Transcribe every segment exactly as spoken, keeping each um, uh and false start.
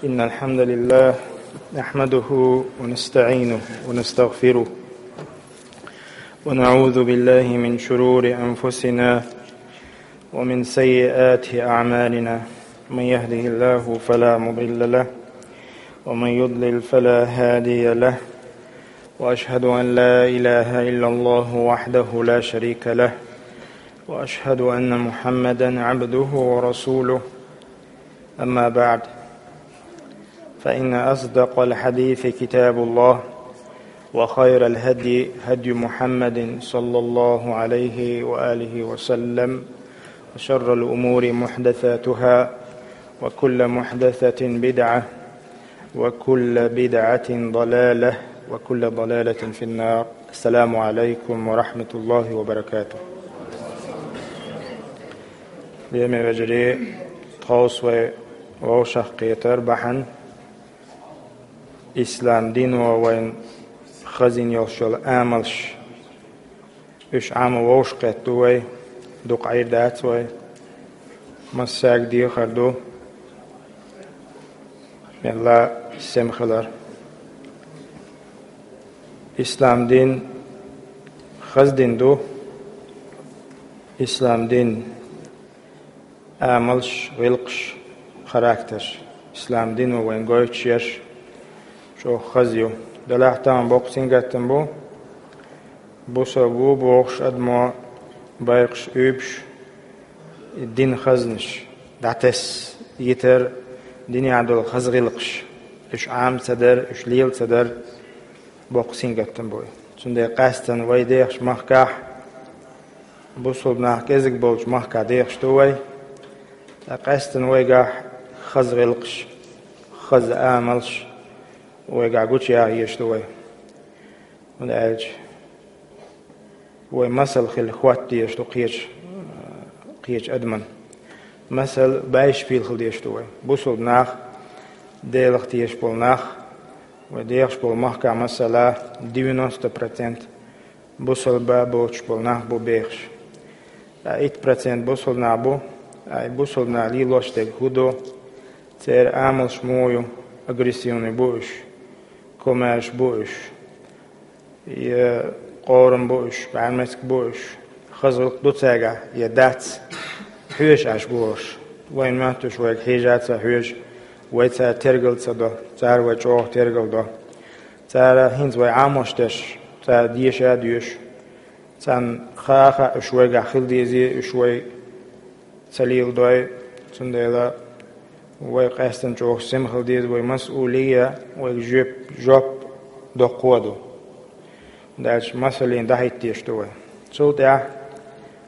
إن الحمد لله نحمده ونستعينه ونستغفره، ونعوذ بالله من شرور أنفسنا ومن سيئات أعمالنا. من يهده الله فلا مضل له، ومن يضلل فلا هادي له، وأشهد أن لا إله إلا الله وحده لا شريك له، وأشهد أن محمدا عبده ورسوله. أما بعد، فإن أصدق الحديث كتاب الله، وخير الهدي هدي محمد صلى الله عليه وآله وسلم، وشر الأمور محدثاتها، وكل محدثة بدعة، وكل بدعة ضلالة، وكل ضلالة في النار. السلام عليكم ورحمة الله وبركاته. Лераме вежарий, тховса вай вовшахкхетар бахьан ислам дино вайна хазийна йолуш йолу амалш. Уьш Ӏамо вовшахкхетта ду вай, дукха Ӏийр дац вай. Массаьрга дехар ду, мелла сема хилар. Ислам дин хаза дин ду. Ислам дин амалш, гӀиллакхаш, характерш. Ислам дино вайна гойтуш ерш чӀогӀа хаза ю. Делахь тахана боккха сингаттам бу, бусалба ву бохуш адамо байракхаш уьйбуш, и дин хазнаш дӀатесна йитар, динехь долу хаза гӀиллакхаш, уьш Ӏама ца дар, уьш лела ца дар, боккха сингаттам бу. Цундела къаьстина вай дехаш махкахь, бусалба нах кӀезиг болчу махкахь дехаш ду вай, ткъа къаьстина вайгахь хаза гӀиллакхаш, хаза амалш вайгахь гучуяха езаш ду вай. ХӀунда аьлча вай масал хила хӀотта дезаш ду кхечу, кхечу адаман. Масал, баьйш пил хила дезаш ду вай. Бусалба нах, Делах тешаш болу нах, вай дехаш болу махкахь, масала, девяносто процент бусалба боцуш болу нах бу бехаш. Ткъа итт процент бусалба нах бу, ткъа и бусалба нах лелош дерг хӀун ду, церан амалш муха ю, агрессивный бу уьш, комаьрша бу уьш, я къорам бу уьш, бӀаьрмециг бу уьш, хаза гӀиллакх ду цаьргахь я дац, хьоьжуш Ӏаш бу уьш. Вайна моьттуш вайга хьежа а ца хьоьжу, вай цара тергал ца до, цара вай чӀогӀа тергал до. Цара хӀинца вай Ӏамош дерш, цара деша а доьшу. Царна хаа а хаьа, уьш вайгахь хила дезий, уьш вай ца леладой, цундела вай къаьстина чӀогӀа сема хила деза, вай масъулия, вайга жоьп-, жоп доккхо а ду. ХӀунда аьлча масаллина дӀахӀитта дезаш ду вай. Цул тӀаьхьа,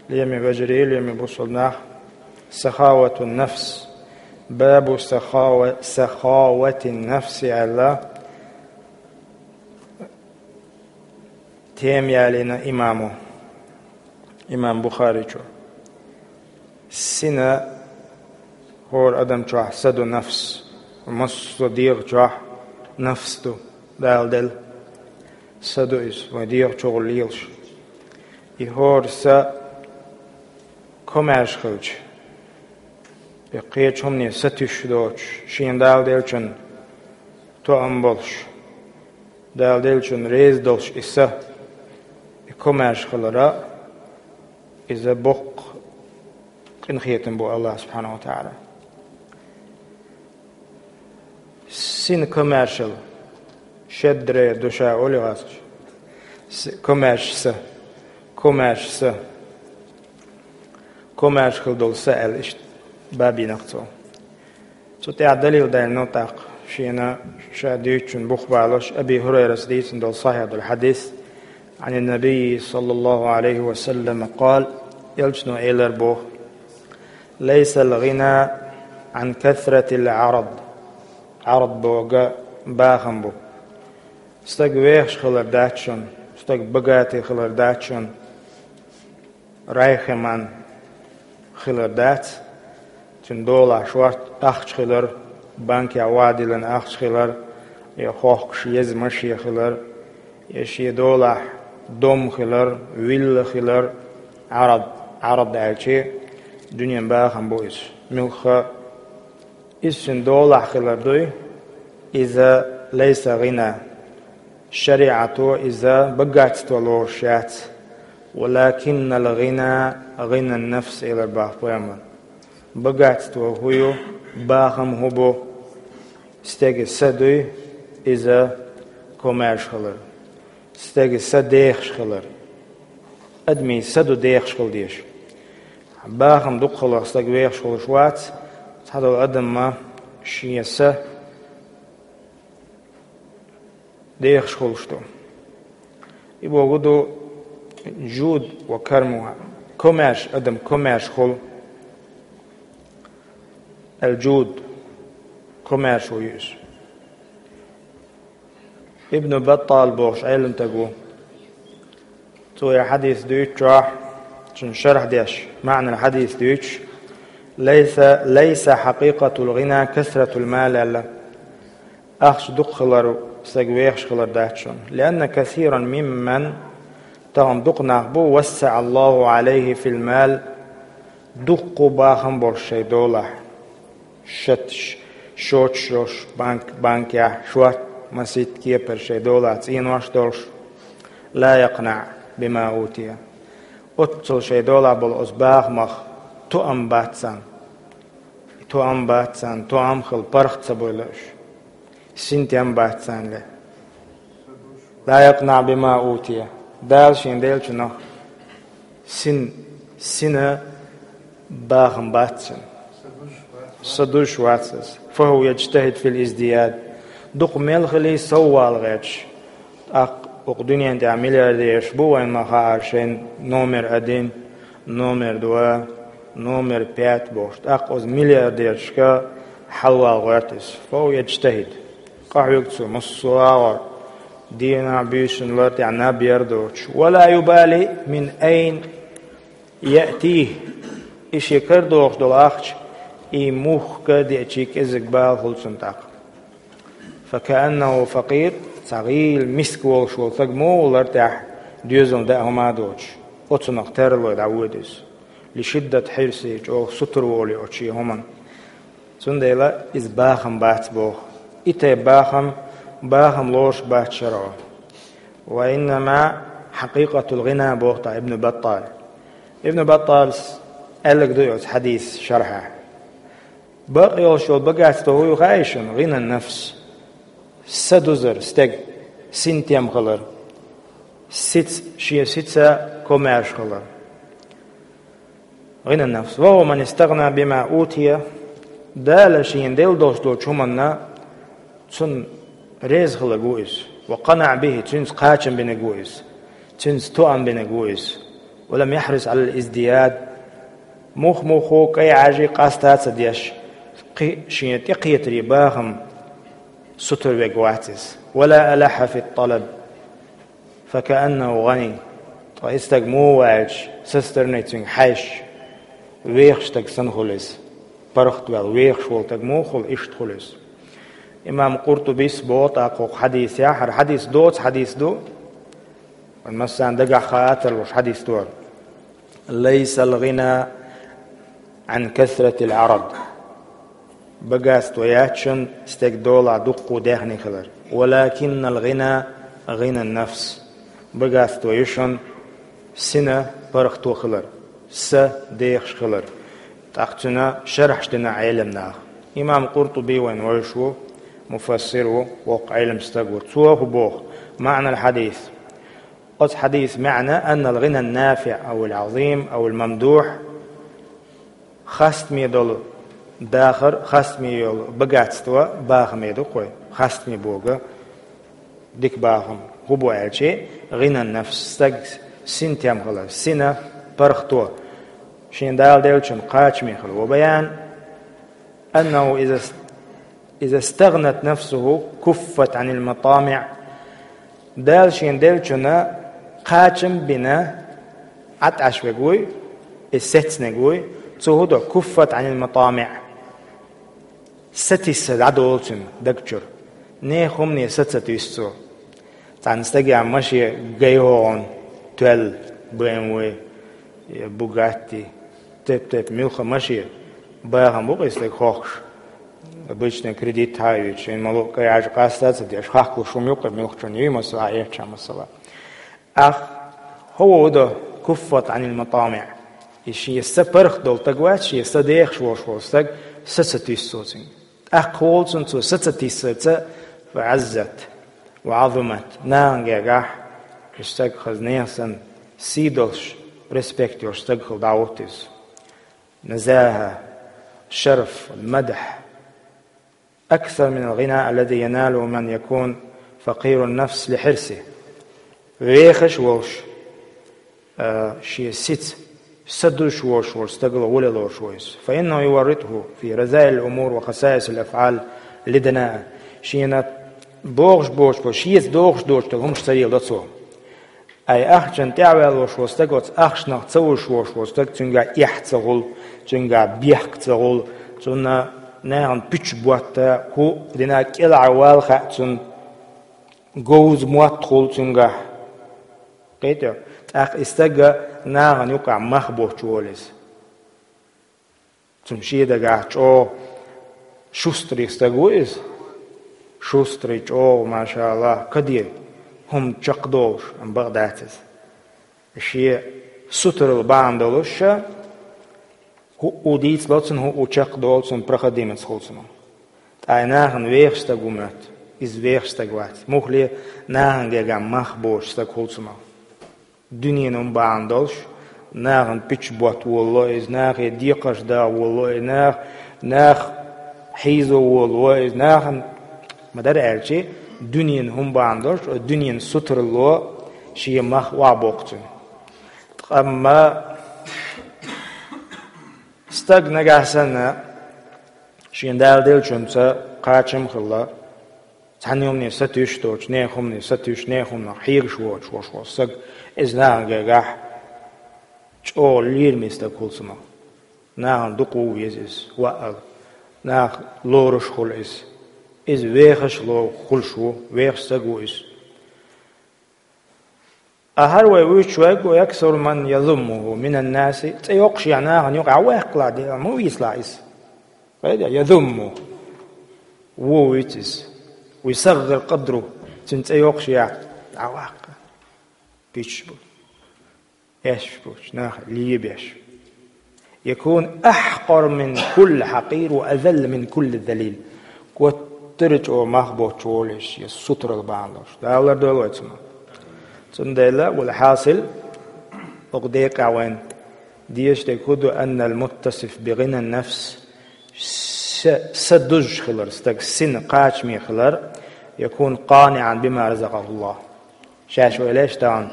лераме вежарий, лераме бусалба нах, сахаватун нафс, бабу сахава-, сахаватин нафси аьлла, тема ялийна имамо, имам Бухаричо. Сина хӀора адам чохь са ду нафс, массо а дегӀа чохь нафс ду, Дала делла. Са ду иза, вайн дегӀа чухула лелаш. И хӀора са комаьрша хилча, и кхечу хӀумане сатуьйсуш доцуш, шена Дала деллачун тоам болуш, Дала деллачун реза долуш и са, и комаьрша хилара, иза боккха къинхетам бу Аллах субхьанаху ва тааля. Сина комаьршал, щедрая душа олу гӀазкхаша. С-, комаьрша са, комаьрша са, комаьрша хила долу са аьлла иштта бабийнакх цо. Цу тӀехь далил даьлла тӀаккха шена ша дуьйцучун бух балош Аби ХӀурайрас дийцина долу сахьихь долу хьадис. Ан набий саллаллаху алейхи ва саллам къал, элчано элар боху: «Лайсал гӀина ан касратил гӀарад». ГӀарад боху бахам бу. Стаг вехаш хилар дац шуна, стаг багатый хилар дац шуна, райхеман хилар дац, цуьнан долахь шорта ахча хилар, банкехь вадиллина ахча хилар, я хохкуш еза машен хилар, я шен долахь дом хилар, вилла хилар, Ӏарад, Ӏарад аьлчи, дуьнен бахам бу иза. Муьлхха иза шен долахь хилар дуй, Иза лайса гӀина. ШариӀато иза богатство лоруш яц. «Валакиннал гӀина гӀинан нафс», — элар бах пайхамар. Богатство хӀу ю, бахам хӀу бу? Стега са дуй, иза комаьрша хилар. Стега са дехаш хилар. Адамий са ду дехаш хила дезаш. Бахам дукха хиларх стаг вехаш хулаш вац, цхьадолу адам ма шен са дехаш хулаш ду. И боху ду жуд ва кармуха. Комаьрша адам, комаьрша хула. Ал-жуд, комаьрша ву иза. Ибн Баттал бохуш Ӏеламстаг ву. Цо я хьадис дуьйцучохь, цуьнан шархь деш, маьӀнал хьадис дуьйцуш: «Лайса, лайса хьакъикъатул гӀина касратул мал», — аьлла. Ахча дукха хилар стаг вехаш хилар дац шуна. «Лианна касиран мимман», тахана дукха нах бу, «вассаӀа Аллаху гӀалайхи фил мал», дуккха бахам болуш шайн долахь. Шаташ, шоташ йолуш, банк, банкехь, шорта масийтта кепара шайн долахь цӀенош долуш. «Ла якънаӀ бима утия». Оццул шайн долахь болу оцу бахамах тоам бац царна. Тоам бац царна, тоам хила паргӀат ца бойла уьш. Синтем бац царна ле. «Ла якънаӀ бима утия». Дала шен деллачунах син, сина бахам бац цуьнан. Са дуьзуш вац иза. «Фаху яджтахид фил издияд». Дукха мел хилий, сов вала гӀерташ. ТӀаккха оцу дуьнен тӀехь миллиардераш бу вайн ма хаара шайн номер один, номер два, номер пять бохуш. ТӀаккха оцу миллиардерашка хьалавала гӀерта иза. «Фаху яджтахид». Къахьоьгу цо массо а агӀор, дийнахь, буьйсанна лар тӀехь наб яр доцуш. «Ва ла юбали мин айн яътихи». И шен карадохуш долу ахча, и мухха а деачий кӀезиг бала хуьлу цунна тӀаккха. «Факааннаху факъир», цхьа гӀийла миска волуш волу стаг муха ву лар тӀехь доьзална даа хӀума а доцуш, оцунах тарлой дӀавоьду иза. «Лишиддат хьирсихи», чӀогӀа сутара волий оцу шен хӀуманна. Цундела иза бахам бац боху. И тайпа бахам, бахам лоруш бац шарӀо. «Ва иннама хьакъикъатул гӀина», боху тӀаккха Ибн Баттал. Ибн Батталс аьлларг ду оцу хьадис шархьехь. Бакъ йолуш йолу богатство хӀу ю хаьий шуна? «ГӀинан нафс». Са дузар стеган, синтем хилар. Сица, шен сица комаьрша хилар. «ГӀинан нафс». «Ва хӀува ман истагӀна бима утия». Дала шена делла долуш долчу хӀуманна цунна реза хиларг ву иза. «Ва къанаӀа бихи», цуьнца кхачам бинарг ву иза. Цуьнца тоам бинарг ву иза. «Ва лам яхьрис Ӏалал издияд». Мух-мухо кӀай Ӏажий къаста а ца деш, кхин шен тӀекхетарий бахам сутара верг вац иза. «Ва ла алахьа фит талаб». «Факааннаху гӀани». Ткъа и стаг муха ву аьлча, со стороны цуьнга хьаьжча, вехаш стаг санна хуьлу иза. ПаргӀатваьлла вехаш волу стаг муха хуьлу, иштта хуьлу иза. Имам Къуртубис боху тӀаккха хӀокху хьадисехь, хӀара хьадис доцу хьадис ду, вайн массарна дагахь хаа а тарлуш хьадис ду хӀара: «Лайсал гӀина Ӏан касратил Ӏарад». Богатство яц шуна стеган долахь дуккха даьхни хилар. «Валакиннал гӀина гӀинан нафс». Богатство ю шуна сина паргӀато хилар, са дехаш хилар. ТӀаккха цуьнан шархьаш дина Ӏеламнаха. Имам Къуртуби вайн вайша ву, муфассир ву, воккха Ӏеламстаг ву. Цо хӀу боху? МаӀнал хьадис. Оцу хьадисан маьӀна: «Аннал гӀинан нафиӀ авил Ӏазим авил мамдухь». Хастаме долу дахар, хастаме йолу богатство бахаме ду кхой. Хастаме бога дика бахам. ХӀун бу аьлчи, гӀинан нафс, стаг синтем хила, сина паргӀато, шен Дала деллачун кхачаме хила. Ва баян аннаху иза, иза стагӀнат нафсуху куффат Ӏанил матамиӀ. Дала шен деллачунна кхачам бина, Ӏад Ӏаш верг вуй, и сецнарг вуй, цо хӀу до, куффат Ӏанил матамиӀ. Сатисса дӀадолу цуьнан даг чуьра. Нехан хӀумане са ца туьйсу цо. Цхьана стагехь машен гай хӀогӀун, тоьлла, бэ эм вэ, я Бугатти, теп-теп муьлхха машен, бахам бу-кх и стаг хохкуш. Обычный кредит хьаийцача, шен мало кӀайӀажа къаста ца деш, хахкалуш хӀума юкъе муьлххачунна юй масала, а эцча масала. Ах, хӀо ву до куффат Ӏанил матамиӀ. И шен са паргӀат долу стаг вац, шен са дехаш волуш волу стаг, са ца туьйсу цо цуьнга. ТӀаккха волу цунна цо са ца тиссаца, фа Ӏаззат ва Ӏазамат, нахана гергахь, и стаг хаза нехан санна, сий долуш, респект йолуш стаг хила дӀагӀутту иза. Назаха, шарф, мадхь. أكثر من الغنى الذي يناله من يكون فقير النفس لحرصه. Вехаш волуш, а, шен сица, са дузуш волуш волу стагал гӀоле лоруш ву иза. فإنه يورطه في رذائل الأمور وخسائس الأفعال لدنائه. Шена бохуш боцуш бо, шеца дохуш доцуш долу хӀумаш ца леладо цо. Ай ахчанна тӀаьхьаваьлла волуш волу стаг, оцу ахчанах ца вуьжуш волуш волу стаг, цуьнгахь эхь ца хуьлу, цуьнгахь бехк ца хуьлу, цунна нахана пуьчаш ботта, хӀуъа дина кӀелхьарвала хаьа цунна, говза мотт хуьлу цуьнгахь. Кхетий? ТӀаккха и стаг нахана юкъахь мах боцуш волу иза. Цунна шен дагахь чӀогӀа шустрый стаг ву иза. Шустрый, чӀогӀа, машаАллахӀ, каде хӀума чекхдолуш, амма бакъ дац иза. Шен сутаралла бахьана долуш ша, хӀуъу дийцало цунна, хӀуъу чекхдолу цунна, проходимец хуьлу цунах. Ткъа и нахана вехаш стаг ву моьтту, иза вехаш стаг вац. Муххале нахана гергахь мах боцуш стаг хуьлу цунах. Дуьненан хӀума бахьана долуш, нахана пуьчаш ботта волало иза, нахе декхарш даха волало иза, нах, нах хьийзо волало иза, нахана, ма-дарра аьлча, дуьненан хӀума бахьана долуш, дуьненан сутаралло шен мах охьабоккху цуьнан. Ткъа амма стаг нагахь санна, шен Дала деллачунца кхачам а хилла, цхьана хӀумане сатуьйсуш доцуш, нехан хӀумане сатуьйсуш, нехан хӀуманах хьегаш воцуш волуш волу стаг, иза нахана гергахь чӀогӀа лераме стаг хуьлу цунах. Нахана дукха ву веза иза, ваъал. Нах лоруш хуьлу иза. Иза вехаш ло-, хуьлуш ву, вехаш стаг ву иза. Ахьар вай вуьйцуш вайга, ويكثر من يذمه من الناس, цӀе йоккхушехь нахана юкъахь ваьккхалахь, дела, ма вийцалахь иза. Кхетий, язумму. Вон вуьйцу иза. Ва юсаггӀир къадруху, цуьнан цӀе йоккхушехь, дӀаваккха. Пуьчаш бу. Эшаш бу, нах лебеш. يكون أحقر من كل حقير وأذل من كل ذليل. Гуттара а чӀогӀа мах боцуш волуш, я сутаралла бахьана долуш. Дала лардойла вай цунах. Цундела, валхьасил, оха декъехь вайн дезаш дерг хӀун ду, أن المتصف بغنى النفس, са, са дузуш хилар, стаг сина кхачаме хилар, يكون قانعا بما رزقه الله. Шаьш вай леш тахана,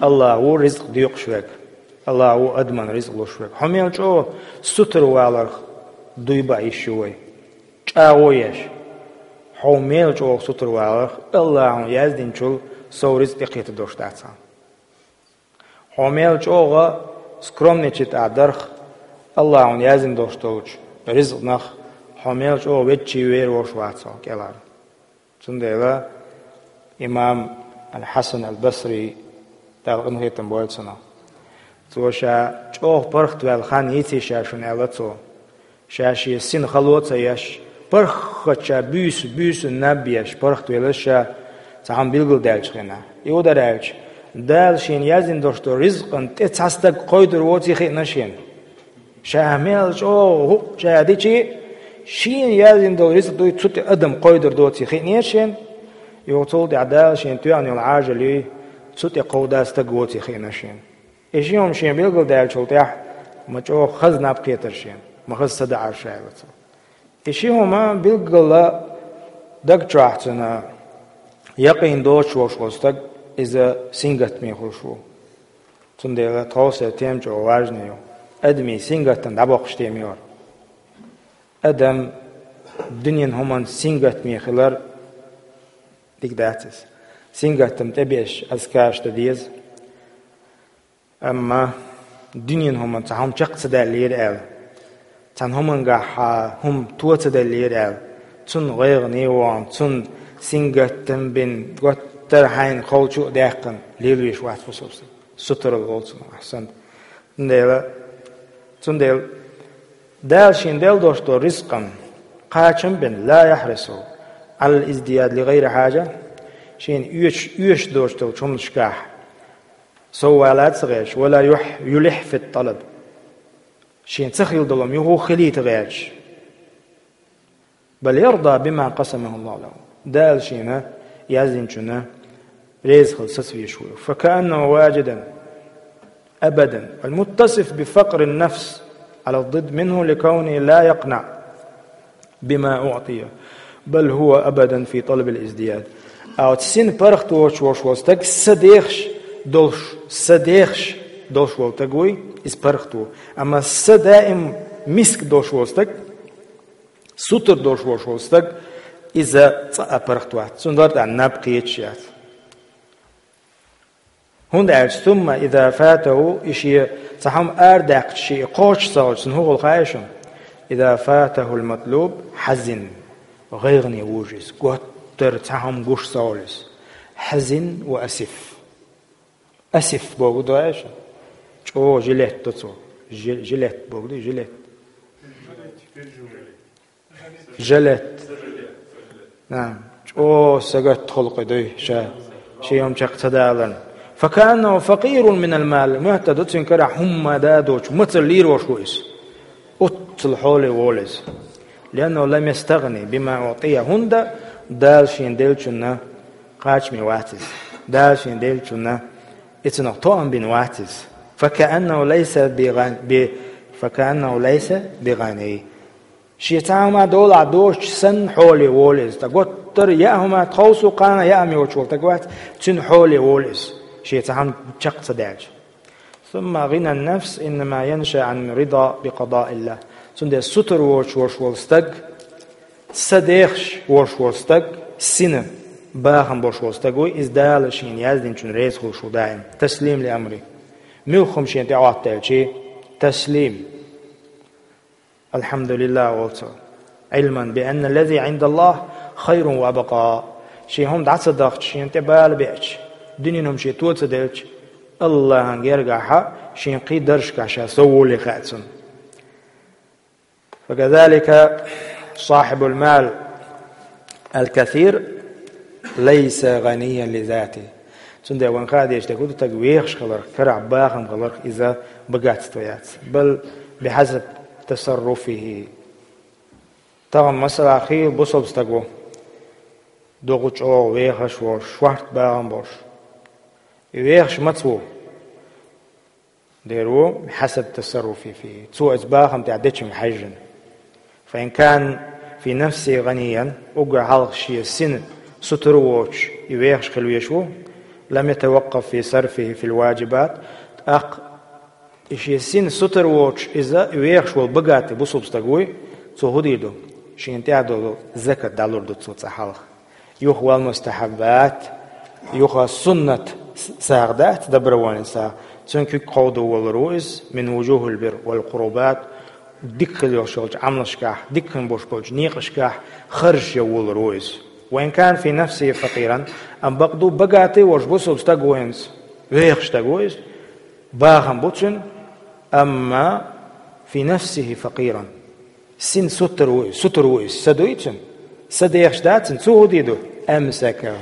АллахӀ ву ризкъ доькъуш верг, АллахӀ ву адаман ризкъ луш верг. Хьо мел чӀогӀа сутара валарх дуй баа йиш ю вай. ЧӀагӀо еш. Хьо мел чӀогӀа сутара валарх, АллахӀа хьуна яздинчул сов ризкъ тӀекхетар долуш дац хьан. Хьо мел чӀогӀа скромничать а дарх, АллахӀа хьуна яздина долуш долчу ризкъанах, хьо мел чӀогӀа ведда вер волуш вац хьо кӀелхьара. Цундела имам Аль-Хьасан Аль-Басри, Дала къинхетам бойла цунах, цо ша чӀогӀа паргӀатваьлла хан йийций ша шуна аьлла цо. Ша шен сина хало а ца еш, паргӀатча буьйса, буьйсанна наб еш, паргӀатвелла ша цхьа хӀума билгалдаьллачу хенахь. И хӀун дара аьлча, Дала шена яздина долуш долу ризкъан тӀе цхьа стаг кхойдур воций хиъна шена. Ша мел чӀогӀа хӀуъа чӀа дичи, шена яздина долу ризкъ дуй, цу тӀе адам кхойдур доций хиънера шена. Юха цул тӀаьхьа Дала шена тоьхна йолу Ӏажал юй, цу тӀе кховда стаг воций хиъна шена. И ши хӀума шена билгалдаьллачул тӀаьхьа, ма чӀогӀа хаза наб кхетара шена, ма хаза са даӀара ша аьлла цо. И ши хӀума билггала даг чохь цуьнан якъийна доцуш волуш волу стаг, иза сингаттаме хуьлуш ву. Цундела тховса тема чӀогӀа важна ю. Адамийн сингаттам дӀабоккхуш тема ю хӀара. Адам дуьненан хӀуманца сингаттаме хилар дика дац иза. Сингаттам тӀебеаш азкараш дан деза. Амма дуьненан хӀуманца хьо хӀума чекх ца даьллера аьлла, цхьана хӀумангахь хьан хӀума то ца деллера аьлла, цунна гӀайгӀане а вахана, цунна сингаттам бина, готтара хьайна ховчу а даьккхина, лелавеш вац бусалба стаг. Сутаралла волу цунах, ахьсант. Цундела, цундела Дала шена делла долуш долу ризкъан Кхачам бен, لا يحرص على الازدياد لغير حاجة, шена оьшуш, оьшуш доцуш долчу хӀуманашкахь соввалаца гӀерташ, ولا يح-, يلح في الطلب, шена ца хилла долу хӀума юха хилийта гӀерташ. بل يرضى بما قسمه الله له. Дала шена яздинчунна реза хила саца везаш ву. فكأنه واجدا أبدا المتصف بفقر النفس على الضد منه لكونه لا يقنع بما أعطي بل هو أبدا في طلب الازدياد. А вот сина паргӀатвоцуш волуш волу стаг са дехаш долуш, са дехаш долуш волу стаг вуй, иза паргӀат ву. Амма са даим миска долуш волу стаг, сутара долуш волуш волу стаг, иза цкъа а паргӀат вац. Цунна дар тӀехь наб кхеташ яц. ХӀунда аьлча, ثم إذا فاته, и шен цхьа хӀума арадаьккхича, шен кхочуш ца хилча, цунна хӀун хуьлу хаьий шуна? إذا فاته المطلوب حزن, гӀайгӀане вужу иза, готтара цхьа хӀума гуш ца хуьлу иза. حزن وأسف. Асиф бохург ду аьлча, чӀогӀа жилет ду цо. Жи-, жилет бохург ду, жилет. Жилет. На, чӀогӀа сагатта халкъ дуй ша, шен хӀума чекх ца даларна. فكأنه فقير من المال, моьтту ду цуьнан карахь хӀумма а доцуш, мацалла лелош ву иза. Оццул хьоле волу иза. لأنه لم يستغن بما أعطي, хӀунда Дала шена деллачунна кхачаме вац иза. Дала шена деллачунна и цунах тоам бина вац иза. فكأنه ليس بغن-, ب-, فكأنه ليس بغني. Шен цхьа хӀума долахь доцуш санна хьоле волу иза. Ткъа готтара яа хӀума, тховса кхана яа хӀума йоцуш волу стаг вац, цуьнан хьоле волу иза, шен цхьа хӀума чекх ца даьлча. ثم غنى النفس إنما ينشأ عن رضا بقضاء الله. Цундела сутара воцуш волуш волу стаг, са дехаш волуш волу стаг, сина бахам болуш волу стаг вуй, иза Дала шена яздинчунна реза хуьлуш ву даим. تسليم لأمره. Муьлхха хӀума шена тӀехӀоттаелча, таслим. الحمد لله олу цо. علما بأن الذي عند الله خير وأبقى. Шен хӀума дӀа ца дахча, шена тӀе бала беача, дуьненан хӀума шен то ца делча, АллахӀан гергахь шен кхин даржашкахь ша сов волу хаьа цунна. فكذلك صاحب المال الكثير ليس غنيا لذاته. Цундела вайн хаа дезаш дерг хӀун ду, стаг вехаш хиларх, карахь бахам хиларх иза богатство яц. بل بحسب تصرفه. Тахана, масала, хийла бусалба стаг ву. Дукха чӀогӀа вехаш волуш, шорта бахам болуш. И вехаш маца ву? Дера ву, حسب تصرفه فيه. Цо иза бахам тӀехь дечуьнга хьаьжжина. فإن كان في نفسه غنيا, уггар хьалха шен сина сутара воцуш, и вехаш хила везаш ву, لم يتوقف في صرفه في الواجبات, тӀаккха и шен сина сутара воцуш, иза вехаш волу богатый бусалба стаг вуй, цо хӀун дийр ду? Шена тӀехь долу закат дӀалур ду цо цкъа хьалха. Юха вал мустахьаббат, юха суннат с-, сагӀа дац, добровольный сагӀа. Цуьнан куьг кховдо волур ву иза, من وجوه البر والقربات, дика хила йолуш йолчу Ӏамалшкахь, дика хила болуш болчу некъашкахь харжаш ян волур ву иза. وإن كان في نفسه فقيرا, амма бакъду богатый волуш бусалба стаг ву хӀинца, вехаш стаг ву иза, бахам бу цуьнан, амма في نفسه فقيرا. Сина сутара ву иза, сутара ву иза, са дуй цуьнан? Са дехаш дац цуьнан, цо хӀун дийр ду? أمسكه.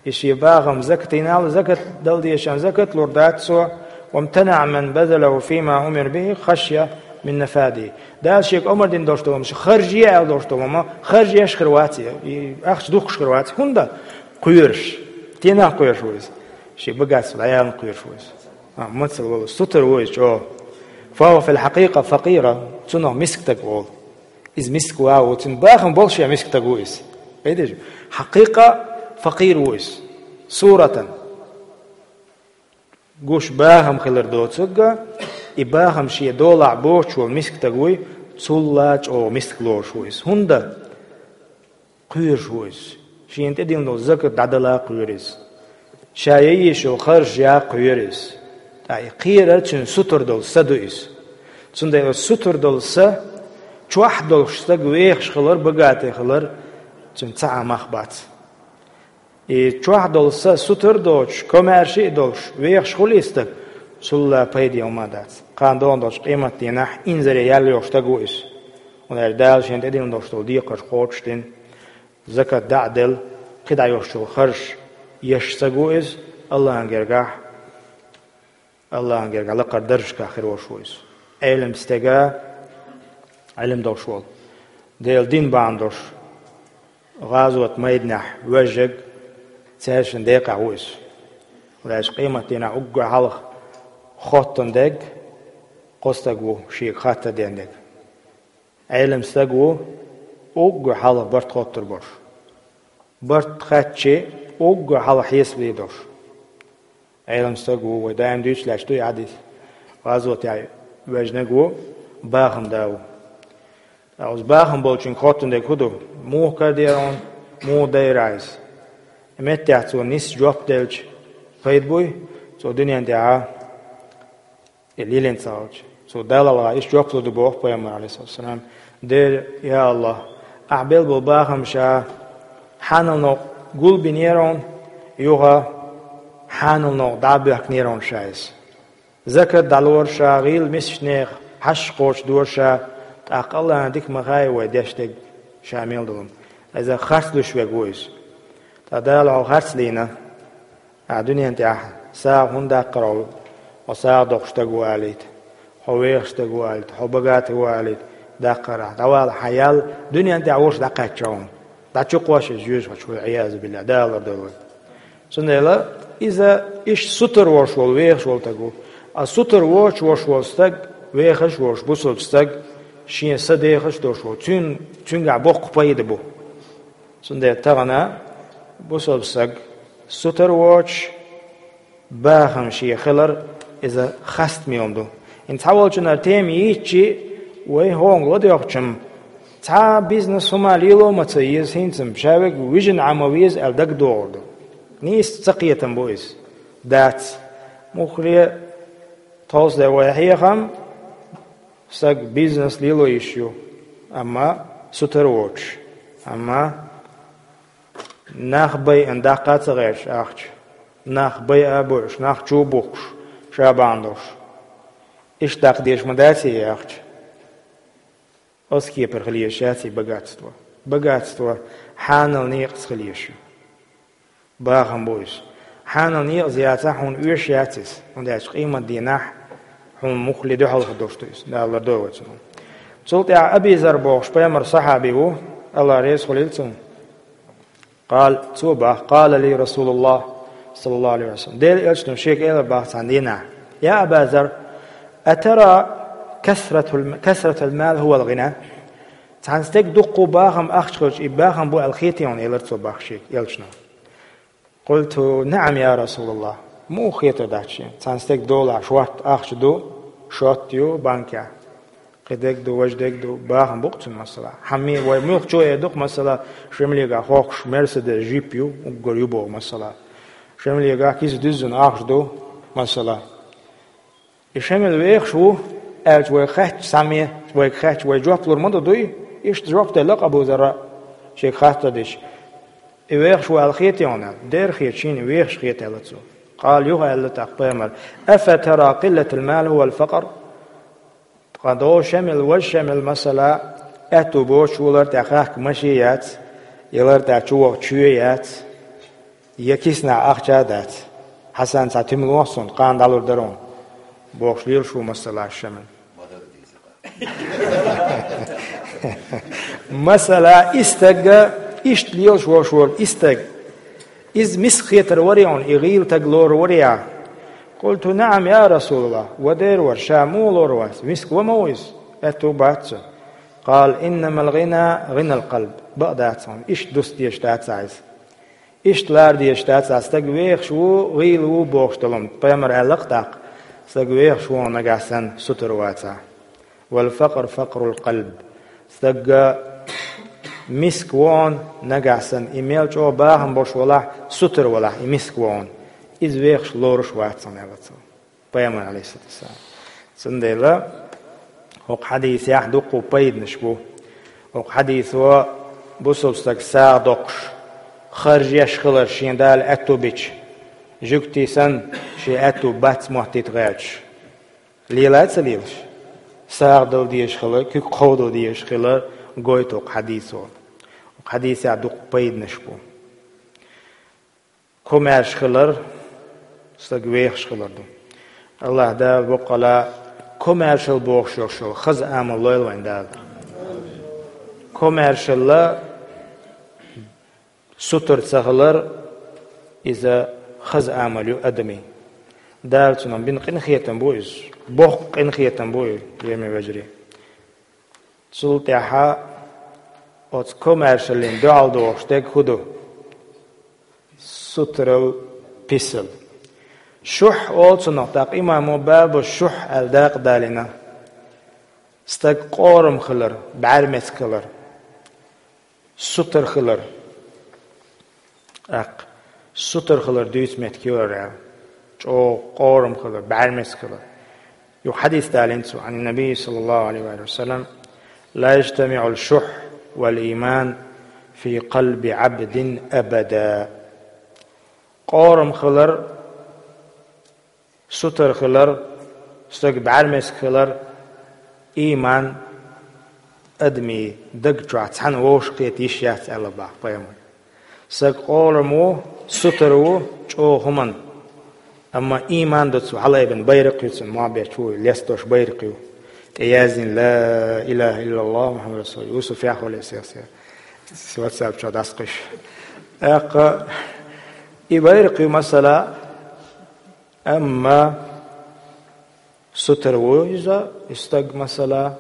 И шен бахам закатийна аьлла, закат дала дезаш, закат лур дац цо. وامتنع من بذله فيما أمر به خشية من نفاده. Дала шега омра дина долуш долу хӀума, харжае аьлла долуш долу хӀума, харжеш хир вац, и ахча духкуш хир вац. ХӀунда? Кхоьруш. Стенах кхоьруш ву иза? Шен богатство дӀаяларна кхоьруш ву иза. А, мацалла волу, сутара ву иза чӀогӀа. فهو في الحقيقة فقير, цунах миска стаг олу. Иза миска ван ву, цуьнан бахам болуш а миска стаг ву иза. Видишь? Хьакъикъа факъир ву иза. Суратан. Гуш бахам хилар доцург а, и бахам шен долахь боцуш волу миска стаг вуй, цул а чӀогӀа миска лоруш ву иза. ХӀунда? Кхоьруш ву иза. Шена тӀедиллина долу закат дӀадала кхоьру иза. Ша ян езаш йолу харжаш ян кхоьру иза. Ткъа и кхерар цуьнан сутара долу са ду иза. Цундела сутара долу са, чохь долуш стаг вехаш хилар, богатый хилар, цуьнан цхьа а мах бац. И чохь долу са сутара доцуш, комаьрша а долуш, вехаш хуьлий стаг, цул а пайде хӀума дац. Кхана догӀун долчу къематдийнахь инзаре ял йолуш стаг ву иза. ХӀунда аьлча Дала шен тӀедиллина долуш долу декхарш кхочушдина, закат дӀа а делла, кхидӀа йолуш йолу харж еш стаг ву иза, Аллахьан гергахь, Аллахьан гергахь лакхара даржашкахь хир волуш ву иза. Ӏелам стага, Ӏилма долуш волу, Делан дин бахьана долуш, гӀазот майданахь вежарг, цаьршинна декъахь ву иза. ХӀунда аьлча къематдийнахь уггар хьалха хоттун дерг кхо стаг ву, шега хаттар ден дерг. Ӏелам стаг ву, уггар хьалха барт хоттур болуш. Барт хаьттича, уггар хьалха хьесап дийр долуш. Ӏелам стаг ву, вай даим дуьйцуш лаьтташ ду и хьадис. ГӀазотехь вежнаг ву, бахам да ву. Ткъа оцу бахам болчуьнга хоттун дерг хӀун ду? Муха карадера хьуна, муха дайра иза? Меттехь цо нисса жоп делча, пайда буй, цо дуьнен тӀехь и лелийна ца хилча. Цо Далла гӀалгӀа иштта жоп лур ду боху пайхамар, Ӏалайхиссалам: «Дера, я Аллахь, ахь белла болу бахам ша хьанал новкъа гулбинера хьуна, юха хьанал новкъа дӀа а боьхкинера хьуна ша иза. Закат дӀалора ша, гӀийла мисачу нехан хьашт кхочушдора ша, тӀаккха Аллахьан дика ма хаьа вай деш дерг ша мел долу. Иза харц луьйш верг ву иза». Ткъа Дала хьо харц лийна, ахь дуьнен тӀехь сагӀа хӀунда даккхара хьо, хьо сагӀа доккхуш стаг ву алийта, хьо вехаш стаг ву алийта, хьо богатый ву алийта даккхара ахь? ДӀавала хьан ял, дуьнен тӀехь вовшах дӀакхаьчча хьуна. ДӀачукхош иза жоьжахати чуьра, Ӏиязу биллахь, Дала лардойла вай. Цундела иза иштта сутара волуш волу вехаш волу стаг ву. А сутара воцуш волуш волу стаг, вехаш а волуш бусалба стаг, шен са дехаш а долуш волу, цуьн-, цуьнгахь боккха пайда бу. Цундела тахана бусалба стаг сутара воцуш, бахам шен хилар, иза хастам йолу ду. ХӀинца цхьаволчунна тема йийцчи, вай хӀокхунга ладоьгӀча-м, цхьа а бизнес хӀума лело а ма ца еза хӀинца-м, ша верг вижина Ӏа ма веза аьлла дагадогӀур ду. Нийса цакхетам бу иза. Дац. Муххале тховса де вай хьехам, стаг бизнес лело йиш ю, амма сутара воцуш. Амма нах байъина даккха а ца гӀерташ ахча, нах байъа а бойъуш, нах чу а бухкуш, ша бахьана долуш. Иштта даккха дезаш ма дац и ахча. Оцу кепара хила езаш яц и богатство. Богатство хьанал некъаца хила езаш ю. Бахам бу иза. Хьанал некъаца яцахь, хьуна оьшуш яц иза, хӀунда аьлча къематдийнахь хьуна муххале дуьхьал хир долуш ду иза. Дала лардойла вай цунах. Цул тӀаьхьа Аби Зар бохуш пайхамаран сахьаби ву, Аллах реза хуьлийла цунна. Къала, цо боху: «Къала ли Расулуллах, саллаллаху алейхи ва саллям». Делан элчано шега элира боху цхьана дийнахь: «Я Аба Зар, атара касратул, касратал мал хувал гъина?» Цхьана стеган дуккха бахам, ахча хилча, и бахам бу аьлла хетий хьуна, элира цо боху шега элчано. «Къулту: наам, я Расулаллах». Муха хетар дац шена? Цхьана стеган долахь шортта ахча ду, шортта ю банкехь. Кхин дерг ду, важа дерг ду, бахам бу-кх цуьнан, масала. Хьан ме-, вай муьлххачо а эр ду-кх, масала, Шемалегахь хохкуш Мерседес, джип ю, уггар ю боху, масала. Шемалегахь киса дуьззина ахча ду, масала. И Шемал вехаш ву аьлча, вай хаьттича, цхьамме вайга хаьттича, вай жоп лур ма ду, дуй? Иштта жоп делла-кх Абу Зарра, шега хаттар дича. И вехаш ву аьлла хетий хьуна? Дера хета, шена вехаш хета, аьлла цо. Къала, юха аьлла тӀаккха пайхамара: «Афа тара къиллатал мал хувал факър?» Ткъа догӀу Шемал, важа Шемал, масала, аьтту боцуш ву, лар тӀехь хахка машен яц, я лар тӀехь чу ваха чоь яц, я киснахь ахча а дац. Хьасан, цхьа туьма лохьа суна, кхана дӀалур дара хьуна, бохуш лелаш ву, масала, Шемал. Масала, и стаг, иштта лелаш волуш волу и стаг, иза миска хетар варий хьуна, и гӀийла стаг лорур варий ахь? «Къулту: наам, я Расулаллах». Ва дера вара, ша муха лорур вац? Миска ва ма ву иза? Аьтту бац цуьнан. Къала: «Иннамал гъина гъинал къалб». Бакъ дац хьуна, иштта дуста дезаш дац ахь иза. Иштта лара дезаш дац ахь, стаг вехаш ву, гӀийла ву бохуш долу. Пайхамара аьлла-кх тӀаккха: «Стаг вехаш ву хьуна нагахь санна, сутара вацахь». «Вал факър факърул къалб». Стаг миска ву хьуна нагахь санна, и мел чӀогӀа бахам болуш валахь, сутара валахь, и миска ву хьуна. Иза вехаш лоруш вац хьуна, аьлла цо. Пайхамар, алейхиссалату вассалам. Цундела хӀокху хьадисехь дуккха пайданаш бу. ХӀокху хьадисо бусалба стаг сагӀа доккхуш, харж еш хилар шен Дала аьтту бича, жуьгтий санна, шен аьтту бац моттийта гӀерташ. Лелай а ца лелаш? сагӀа дала дезаш хилар, куьг кховдо дезаш хилар гойту хьадисо. Хьадисехь дукха пайданаш бу. Комаьрша хилар, стаг вехаш хилар ду. Аллаха Дала боккъала комаьршал бохуш йолуш йолу хаза амал лойла вайн Дала. Комаьршалла сутара ца хилар, иза хаза амал ю адамийн. Дала цунах бина къинхетам бу иза. Боккха къинхетам бу иза, жеме вежарий. Цул тӀаьхьа оцу комаьршаллин дуьхьал дохуш дерг хӀун ду? Сутарал, писал. Шухь олу цунах, тӀаккха имамо бабу шухь аьлла дакъа далийна. Стаг къорам хилар, бӀаьрмециг хилар, сутара хилар. ТӀаккха сутара хилар дуьйцу меттиг ю хӀара, чӀогӀа къорам хилар, бӀаьрмециг хилар. Юха хьадис далийна цо, Ӏан-Набий, саллаллаху Ӏалайхи ва саллам: «Ла яжтамиӀул шухь вал ийман фи къалби Ӏабдин абада». Къорам хилар, сутара хилар, стаг бӀаьрмециг хилар, ийман адамийн даг чохь цхьаьна вовшахкхета йиш яц аьлла боху пайхамара. Стаг къорам ву, сутара ву чӀогӀа хӀуманна. Амма ийман ду цо, хьалаайбина байракх ю цуьнан, мохь бечу ву, лесташ байракх ю. ТӀе яздина: «Ла илаха иллаллаху Мухаммад расулуллах». Юсуф яхвале сех-сех. Ватсап чохь дӀасакхуьйсуш. ТӀаккха и байракх ю, масала, амма сутара ву иза, и стаг, масала,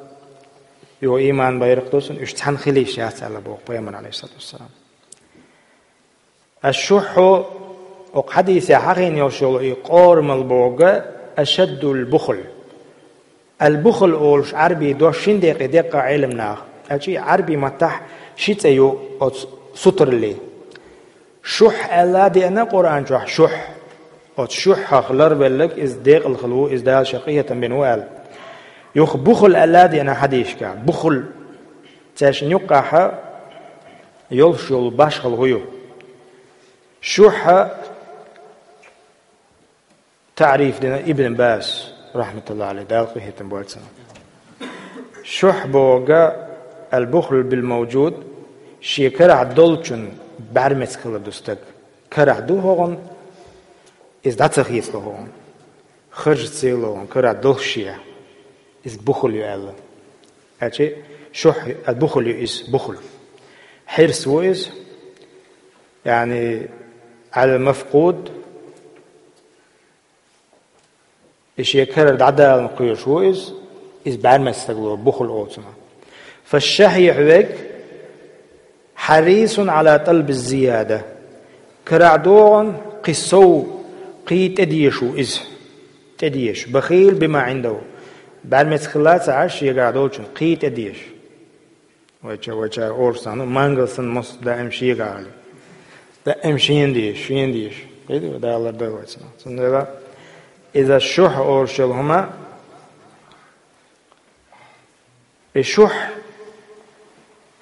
юха ийман байракх ду цуьнан, уьш цхьаьна хила йиш яц аьлла боху пайхамара, Ӏалайхиссалату вассалам. Аш-шухьу, оцу хьадисехь хьахийна йолуш йолу и къорамал бохург, ашаддул бухл. Ал-бухл олуш Ӏарбийн дош шина декъе деккъа Ӏеламнаха, аьлча и Ӏарбийн маттахь ши цӀе ю оцу сутараллин. Шухь аьлла а деана Къуръан чохь, шухь. Оцу шухьах ларвелларг иза декъала хилла ву, иза Дала шен къинхетам бина ву аьлла. Юха бухл аьлла а деана хьадисашкахь, бухл. Цаьршинна юккъехь йолуш йолу башхалла хӀун ю? Шухьа таъриф дина Ибн Баз, рахьматуллахӀи Ӏалайхи, Дала къинхетам бойла цунна. Шухь бохург, ал-бухлу бил-мавжуд, шен карахь долчун бӀаьрмециг хилар ду стаг. Карахь ду хӀокхуьнан, иза дӀа ца хецало хӀокхуьнан, харжа ца ялало хӀокхуьнан, карахь долуш шен, иза бухл ю аьлла. Аьлча шухь, а, бухл ю иза, бухл. Хьирс ву иза, яъни, ал-мафкъуд, и шен карара дӀадаларна кхоьруш ву иза, иза бӀаьрмециг стаг ло, бухл олу цунах. Фаш-шахьихь верг, хьарисун Ӏала талби зияда. Карахь догӀун кхин сов, кхин тӀедезаш ву иза. ТӀедезаш. Бахил бима Ӏиндаху. БӀаьрмециг хилла а ца Ӏаш, шегахь долчун кхин тӀедезаш. Вайча-, вайчара орцахь, ну, мангал санна, мос даим шегахь хилла. Даим шена дезаш, шена дезаш. Кхидара далар дай вайца. Цундела иза шухь олуш йолу хӀума, и шухь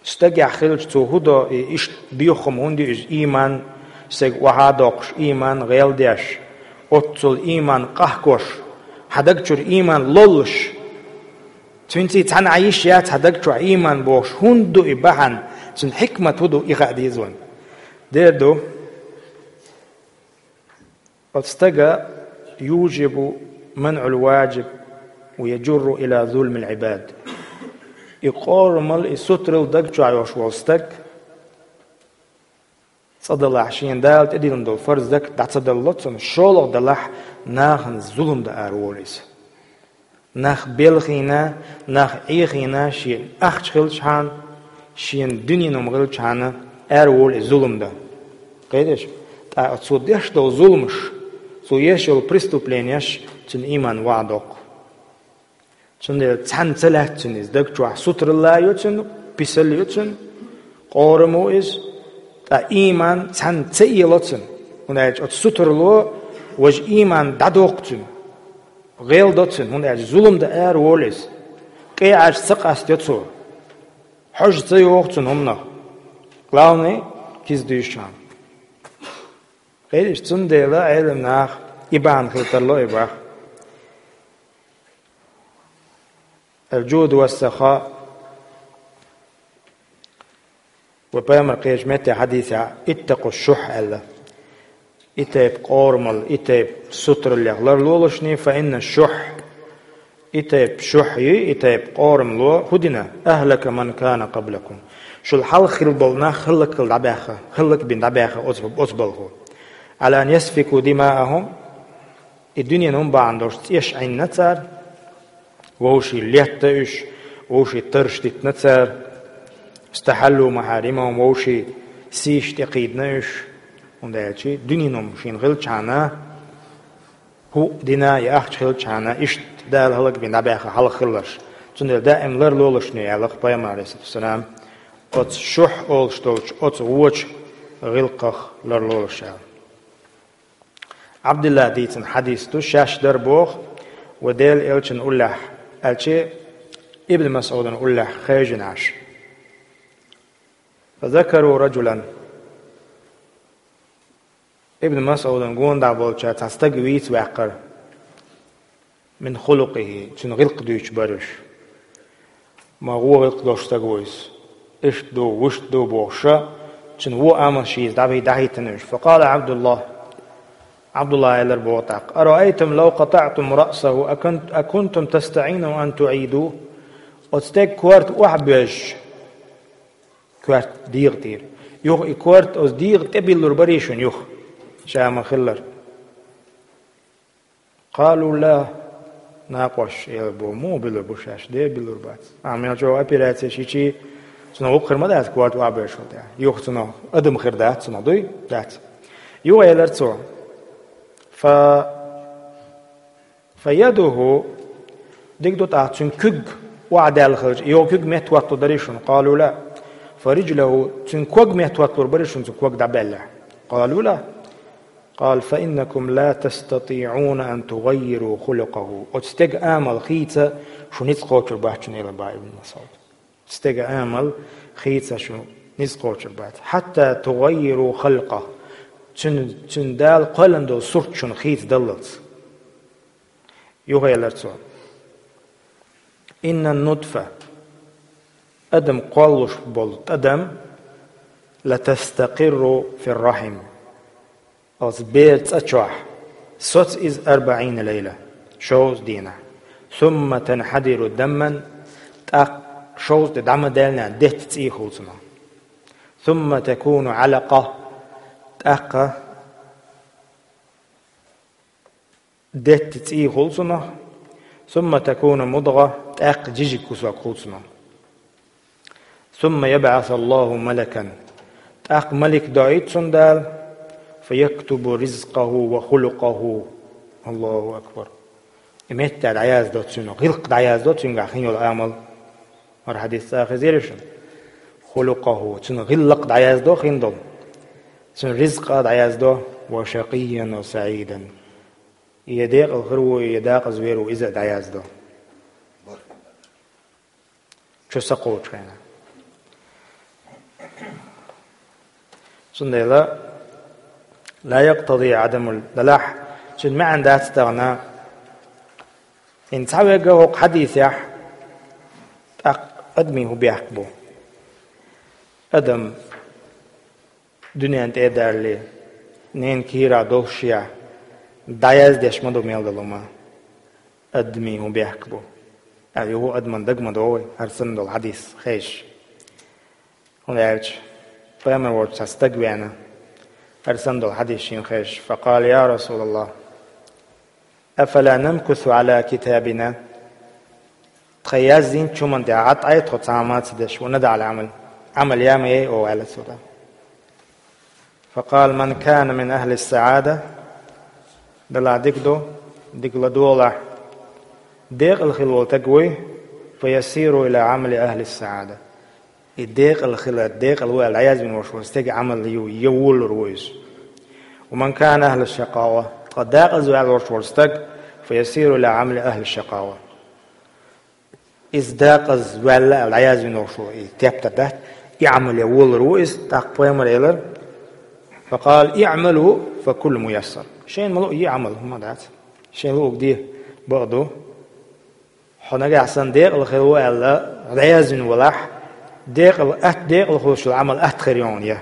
стагехь хилча, цо хӀун до, и иштта боьха хӀума хӀунда ю иза, ийман, стаг охьа а доккхуш, ийман гӀел деш, оццул ийман къахкош, хьан даг чуьра ийман лоллуш, цуьнца цхьаьна Ӏан йиш яц хьан даг чохь ийман бохуш, хӀунда ду и бахьана, цуьнан хьикмат хӀун ду, и хаа деза вайна. Дера ду, оцу стага южибу манъул ваджиб ва яджурру ила зулмил Ӏибад. И къорамал, и сутарал даг чохь йолуш волу стаг, цкъа далахь, шена Дала тӀедиллина долу фарз закат дӀа ца далло цунна, шолгӀа далахь, нахана зулам дан ара волу иза. Нах белхийна, нах Ӏехийна, шен ахча хилчхьана, шен дуьненан хӀума хилчхьана, ара волу иза зулам дан. Кхеташ? ТӀаккха цо деш долу зуламаш, цо еш йолу преступлениеш цуьнан ийман охьадоккху. Цундела цхьаьна ца лаьтта цуьнан иза даг чохь, сутаралла а ю цуьнан, писал а ю цуьнан, къорам ву иза, ткъа ийман цхьаьна ца эло цуьнан. ХӀунда аьлча оцу сутарало важа ийман дӀадоккху цуьнан, гӀел до цуьнан, хӀунда аьлча зулам дан ара волу иза. КӀай Ӏаьржа ца къастайо цо, хьожа ца йоху цуьнан хӀуманах. Главное, киза дуьйшучхьана. Кхеташ? Цундела Ӏеламнаха и бахьана хила тарло и бах. الجود والسخاء. Вай Пайхамар кхечу метте хьадисехь «اتقوا الشح» аьлла. И тайпа къорамал, и тайпа сутараллех ларлолаш, فإن الشح, и тайпа шухь ю, и тайпа къорамало хӀун дина, أهلك من كان قبلكم. Шул хьалха хилла болу нах хӀаллакьхила дӀабаьхна, хӀаллакбина дӀабаьхна оцу, оцу балхо. على أن يسفكوا دماءهم, и дуьненан бахьана долуш цӀеш Ӏийна цара, вовшийн летта уьш, вовшийн тарш дитина цара, استحلوا محارمهم, вовшийн сийш тӀекхийдина уьш, хӀунда аьлча дуьненан шена хилчхьана, хӀуъа дина я ахча хилчхьана, иштта Дала хӀаллакбина дӀабаьхна хьалха хилларш. Цундела даим ларлолаш ю аьлла Пайхамар, عليه الصلاة والسلام, оцу шухь олуш долчу оцу вочу гӀиллакхах ларлолаш аьлла. Ӏабдуллахь дийцина хьадис ду, шаьш дара боху, вай Делан элчанан уллехь, аьлча Ибн МасӀудан уллехь хевшина Ӏаш. فذكروا رجلا. Ибн МасӀудан гонаха болчара цхьа стаг вийца ваьккхира. من خلقه, цуьнан гӀиллакх дуьйцуш бара уьш. Ма гӀо гӀиллакх долуш стаг ву иза. Иштта ду, вуьшта ду бохуша, цуьнан вон амал шен иза дӀахӀиттина уьш. فقال عبد الله, Ӏабдуллахь элира боху тӀаккха: أرأيتم لو قطعتم رأسه أكنت-، أكنتم تستطيعون أن تعيدوه؟ Оцу стеган корта охьабоьжча, корта дегӀа тӀера. Юха и корта оцу дегӀа тӀе биллур барий шуна юха? Ша ма-хиллара. قالوا لا. Накъоша элира боху: муха биллур бу шаьш? Де биллур бац. Ахьа мел чӀогӀа операцеш йича, цунах гӀуллакх хир ма дац, корта охьабоьжча тӀехь. Юха цунах адам хир дац, цунах дуй? Дац. Юха элира цо: فيده, дика ду тӀаккха цуьнан куьг охьадаьлла хилча, йогӀу куьг меттахӀотталур дарий шуна? قالوا لا. فرجله, цуьнан ког меттахӀотталур барий шуна, цуьнан ког дӀабаьллехь? قالوا لا. قال: فإنكم لا تستطيعون أن تغيروا خلقه. Оцу стеган амал хийца шу ницкъ кхочур бац шуна, элира боху Ибн МасӀуда. Стеган амал хийца шу ницкъ кхочур бац. حتى تغيروا خلقه. Цуьнан, цуьнан Дала кхоьллина долу сурт шуна хийца даллалц. Юха элира цо: إن النطفة, адам кхоллалуш болу тӀадам, لتستقر في الرحم. Оцу бер цӀа чохь соц иза أربعين ليلة, шовзткъа дийнахь. ثم تنحدر دما, тӀаккха шовзткъа де дӀа ма-даьллинехь детта цӀий хуьлу цунах. ثم تكون علقة, тӀаккха детта цӀий хуьлу цунах. ثم تكون مضغة, тӀаккха жижиг кусок хуьлу цунах. ثم يبعث الله ملكا, тӀаккха малик доуьйту цунна Дала, فيكتب رزقه وخلقه. Аллаху акбар. И меттехь дӀаяздо цуьнан, гӀиллакх дӀаяздо цуьнгахь хин йолу амал. ХӀара хьадис цкъа хезира шуна? خلقه, цуьнан гӀиллакх дӀаяздо хин долу. Цуьнан ризкъ а дӀаяздо, وشقيا وسعيدا. Я декъала хир ву, я декъаза вер ву, иза а дӀаяздо. Чу са кхочу хенахь. Цундела, لا يقتضي عدم ال-, далахь, цуьнан маьӀна дац тахана, хӀинца цхьа вегга хӀокху хьадисехь, тӀаккха адамийн хӀун бехк бу? Адам дуьнен тӀе а даьллий, ненан кийрахь долуш а, дӀаяздеш ма ду мел долу хӀума. Адамийн хӀун бехк бу? Ай, юха адаман даг ма догӀий, хӀара санна долу хьадис хезаш. ХӀунда аьлча Пайхамар волчу цхьа стаг веана, хӀара санна долу хьадис шена хезаш. فقال: يا رسول الله، أفلا نمكث على كتابنا؟ Тхан яздинчу хӀуманна тӀехь Ӏад Ӏай тхо цхьа а ма ца деш, وندع العمل, Ӏамал яа ма яй оха, аьлла цо тӀаккха. فقال: من كان من أهل السعادة, далахь дика ду, дика ладогӀалахь, декъала хила волу стаг вуй, فيسير إلى عمل أهل السعادة. И декъала хила, декъала ву аьлла дӀаязвина волуш волу стеган Ӏамал ю, я волалур ву иза. ومن كان أهل الشقاوة, ткъа декъаза ваьлла волуш волу стаг, فيسير إلى عمل أهل الشقاوة. Иза декъаза ваьлла аьлла дӀаязвина волуш ву, и тептар дац, и Ӏамал я волалур ву иза, тӀаккха Пайхамар элира: فقال: اعملوا فكل ميسر. Шайна ма луъу, е Ӏамал, хӀума дац. Шайна луъург де, бакъ ду. Хьо нагахь санна декъала хир ву аьлла, дӀаязвина валахь, декъала, атта декъала хуьлуш йолу Ӏамал атта хир ю хьуна, я.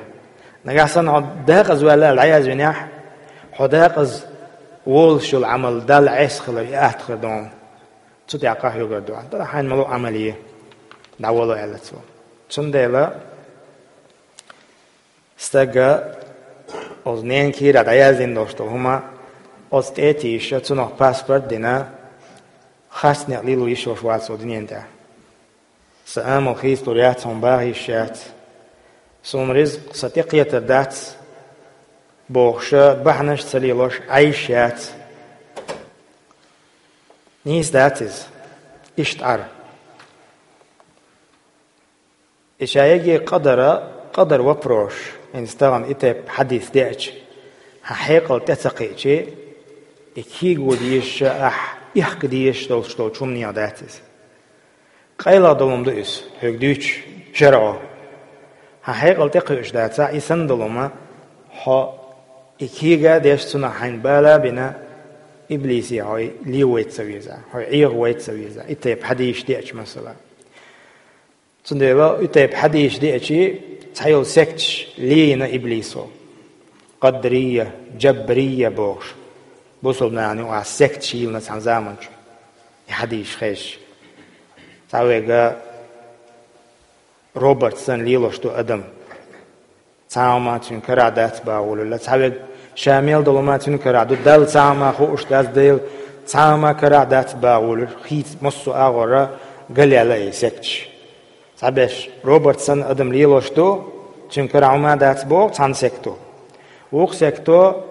Нагахь санна хьо декъаза ваьлла аьлла дӀаязвинехь, хьо декъаза волуш йолу Ӏамал Далла Ӏеса хилар, и атта хир ду хьуна. Цу тӀехь къахьоьгур ду хьуна. Дара хьайна ма ло Ӏамал е, дӀавало аьлла цо. Цундела стага оцу ненан кийрахь дӀаяздина долуш долу хӀума оцу тӀе а тийша, цунах паспорт а дина, хастам лело йиш йолуш вац оцу дуьнен тӀехь. Сан амал хийцалур яц, хьуна баха йиш яц. Суна ризкъ сан тӀекхетар дац бохуша, бахьанаш а ца лелош Ӏайш яц. Нийса дац иза. Иштта Ӏара. И ша яге къадара, къадар вопрош, хӀинца тахана и тайпа хьадис деача, хьан хьекъал тӀе ца кхиъчи, и кийго дезаш а, ахь ихка дезаш долуш долчу хӀуманех дац иза. Къайлаха долу хӀума ду иза, хьоьга дуьйцуш шарӀо. Хьан хьекъал тӀе кхуьуш дацахь, и санна долу хӀума, хьо и кийга а деш, цунах хьайна бала а бина, иблисе хьо ле вайта ца веза, хьо ӀегӀа вайта ца веза, и тайпа хьадисаш деача, масала. Цундела и тайпа хьадисаш деачи, цхьайолу секташ лийна иблисо. Къадрийя, Джабрийя бохуш. Бусулба нахана юкъахь секташ йийлина цхьана заманчохь. И хьадисаш хезча. Цхьа вайга робот санна лелош ду адам. Цхьа хӀума цуьнан карахь дац бохуш волуш, цхьа вайга ша мел долу хӀума цуьнан карахь ду, Далла цхьа хӀума хууш дац, Дела цхьа хӀума карахь дац бохуш волуш, хийца массо а агӀора галъяьлла и секташ. Цхьаберш робот санна адам лелош ду, цуьнан карахь хӀума дац боху цхьана секто. Вукху секто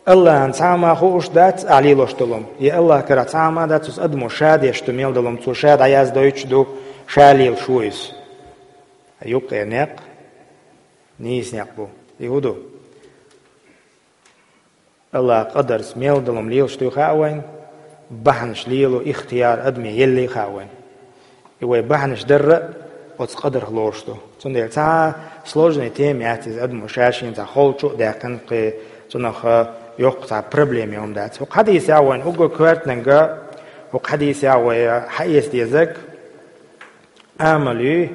АллахӀана цхьа хӀума хууш дац ахь лелош долу хӀума, я АллахӀан карахь цхьа хӀума дац, оцу адамо ша деш ду мел долу хӀума, цо ша дӀаяздойтуш ду, ша лелаш ву иза. Юккъера некъ нийса некъ бу. И хӀун ду? АллахӀан къадарца мел долу хӀума лелаш дуй хаьа вайна, бахьанаш лело ихтияр адаме еллий хаьа вайна. И вай бахьанаш дарра а оцу къадарх лоруш ду. Цундела цхьа сложный тема яц иза, адамо ша-шена цхьа холчу а даьккхина, кхин цунах йоккха цхьа проблема йолу хӀума дац. ХӀокху хьадисехь вайна уггар коьртаниг, хӀокху хьадисехь вай хьаэца дезарг амал ю,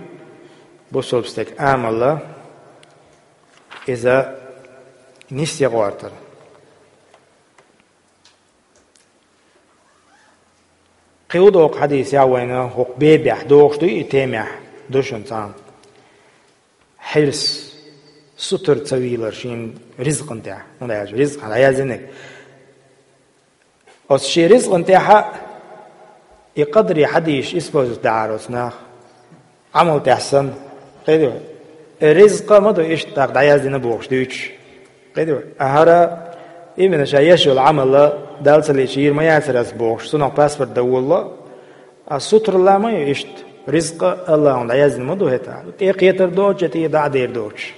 бусулба стеган амал, иза нисъян гӀортар. Кхин доккха хьадисехь вайна хӀокху бебехь догӀуш ду и темехь, ду шуна цхьаьна. Хьирс, сутара ца вийлар шен ризкъан тӀехь. ХӀунда аьлча ризкъ хьан дӀаяздинарг. Оцу шен ризкъан тӀехь а и къадарий хьадисаш использовать дахьара оцу наха. Ӏамал тӀехь санна. Кхидо. Э, ризкъа ма ду иштта дӀаяздина бохуш дуьйцуш. Кхидо. А хӀара именно ша еш йолу Ӏамал Далла ца лийча йийр ма яцара ас бохуш, цунах паспорт дан волало. А сутаралла ма ю иштта. Ризкъа АллахӀана дӀаяздина ма ду хӀета. ТӀекхетар доцуш, я тӀе дӀа а дер доцуш.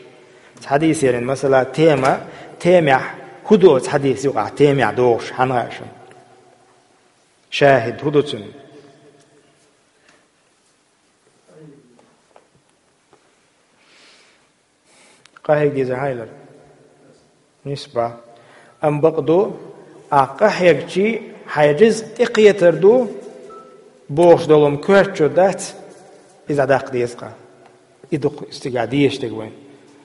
Цхьа хьадис ярина, масала, тема, темехь, хӀун ду оцу хьадис юкъахь темехь догӀуш, хьан хаьа шуна? ШахӀид хӀун ду цуьнан? Къахьега деза хьайлар. Нисба. Амма бакъ ду, ахь къахьегчи хьайн ризкъ тӀекхетар ду, бохуш долу хӀума коьртачу дац, иза дӀадаккха деза-кх. И ду-кх цигахь дезаш дерг вайн.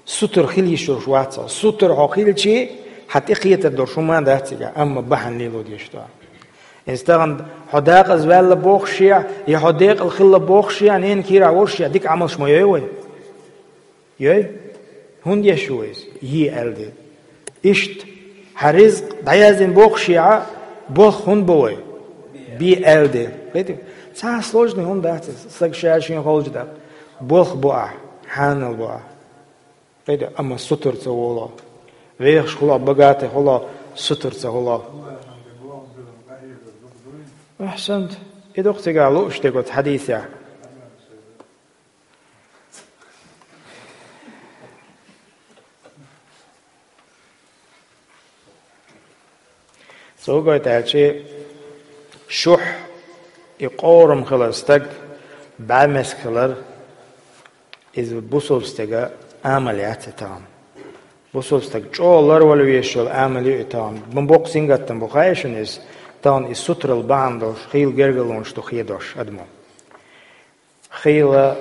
Сутара хила йиш йолуш вац хьо. Сутара хьо хилчи, хьан тӀекхетар долуш хӀума дац цигахь, амма бахьана лело дезаш ду. Иза тахана хьо декъаза ваьлла бохуш а, я хьо декъала хилла бохуш а, ненан кийрахь волуш а, дика Ӏамалш ма йой вай? Йой? ХӀунда еш ву иза? Е аьлла де. Иштта, хьан ризкъ дӀаяздина бохуш а, болх хӀунда бо вай? Бе аьлла де. Кхетий? Цхьа сложный хӀума дац иза, сага ша шен холчу даккха. Болх бо ахь, хьанал бо ахь. Кхетий? Амма сутара ца волу. Вехаш хуьлу, богатый хуьлу, сутара ца хуьлу. Ахьсант. И ду-кх цигахь лууш дерг оцу хьадисехь. Цо гойту аьлчи, шухь, и къорам хилар стаг, бӀаьмеска хилар, иза бусулба стеган амал яц и тахана. Бусулба стаг чӀогӀа ларвала везаш йолу амал ю и тахана. Ма боккха сингаттам бу, хаьий шуна иза? Тахана и сутарал бахьана долуш хийла гергарлонаш ду хедош адамо. Хийла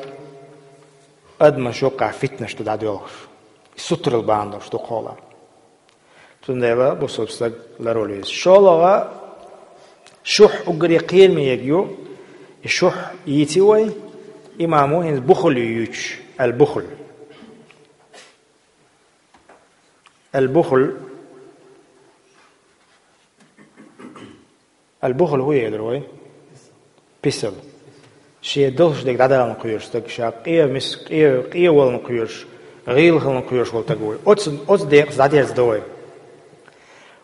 адамаш юкъахь фитнаш ду дӀадоьлхуш. И сутарал бахьана долуш ду кхола. Цундела бусалба стаг ларвала веза. ШолгӀа, шухь уггаре кхераме ерг ю, и шухь йийци вай, имамо хӀинца бухл ю юьйцуш, аль-бухл. Аль-бухл. Аль-бухл хӀун ю элира вай? Писал. Шен долуш дерг дӀадаларна кхоьруш стаг, ша къе мис-, къе, къе валарна кхоьруш, гӀийла хиларна кхоьруш волу стаг ву. Оцу, оцу декъаза дӀадерзадо вай.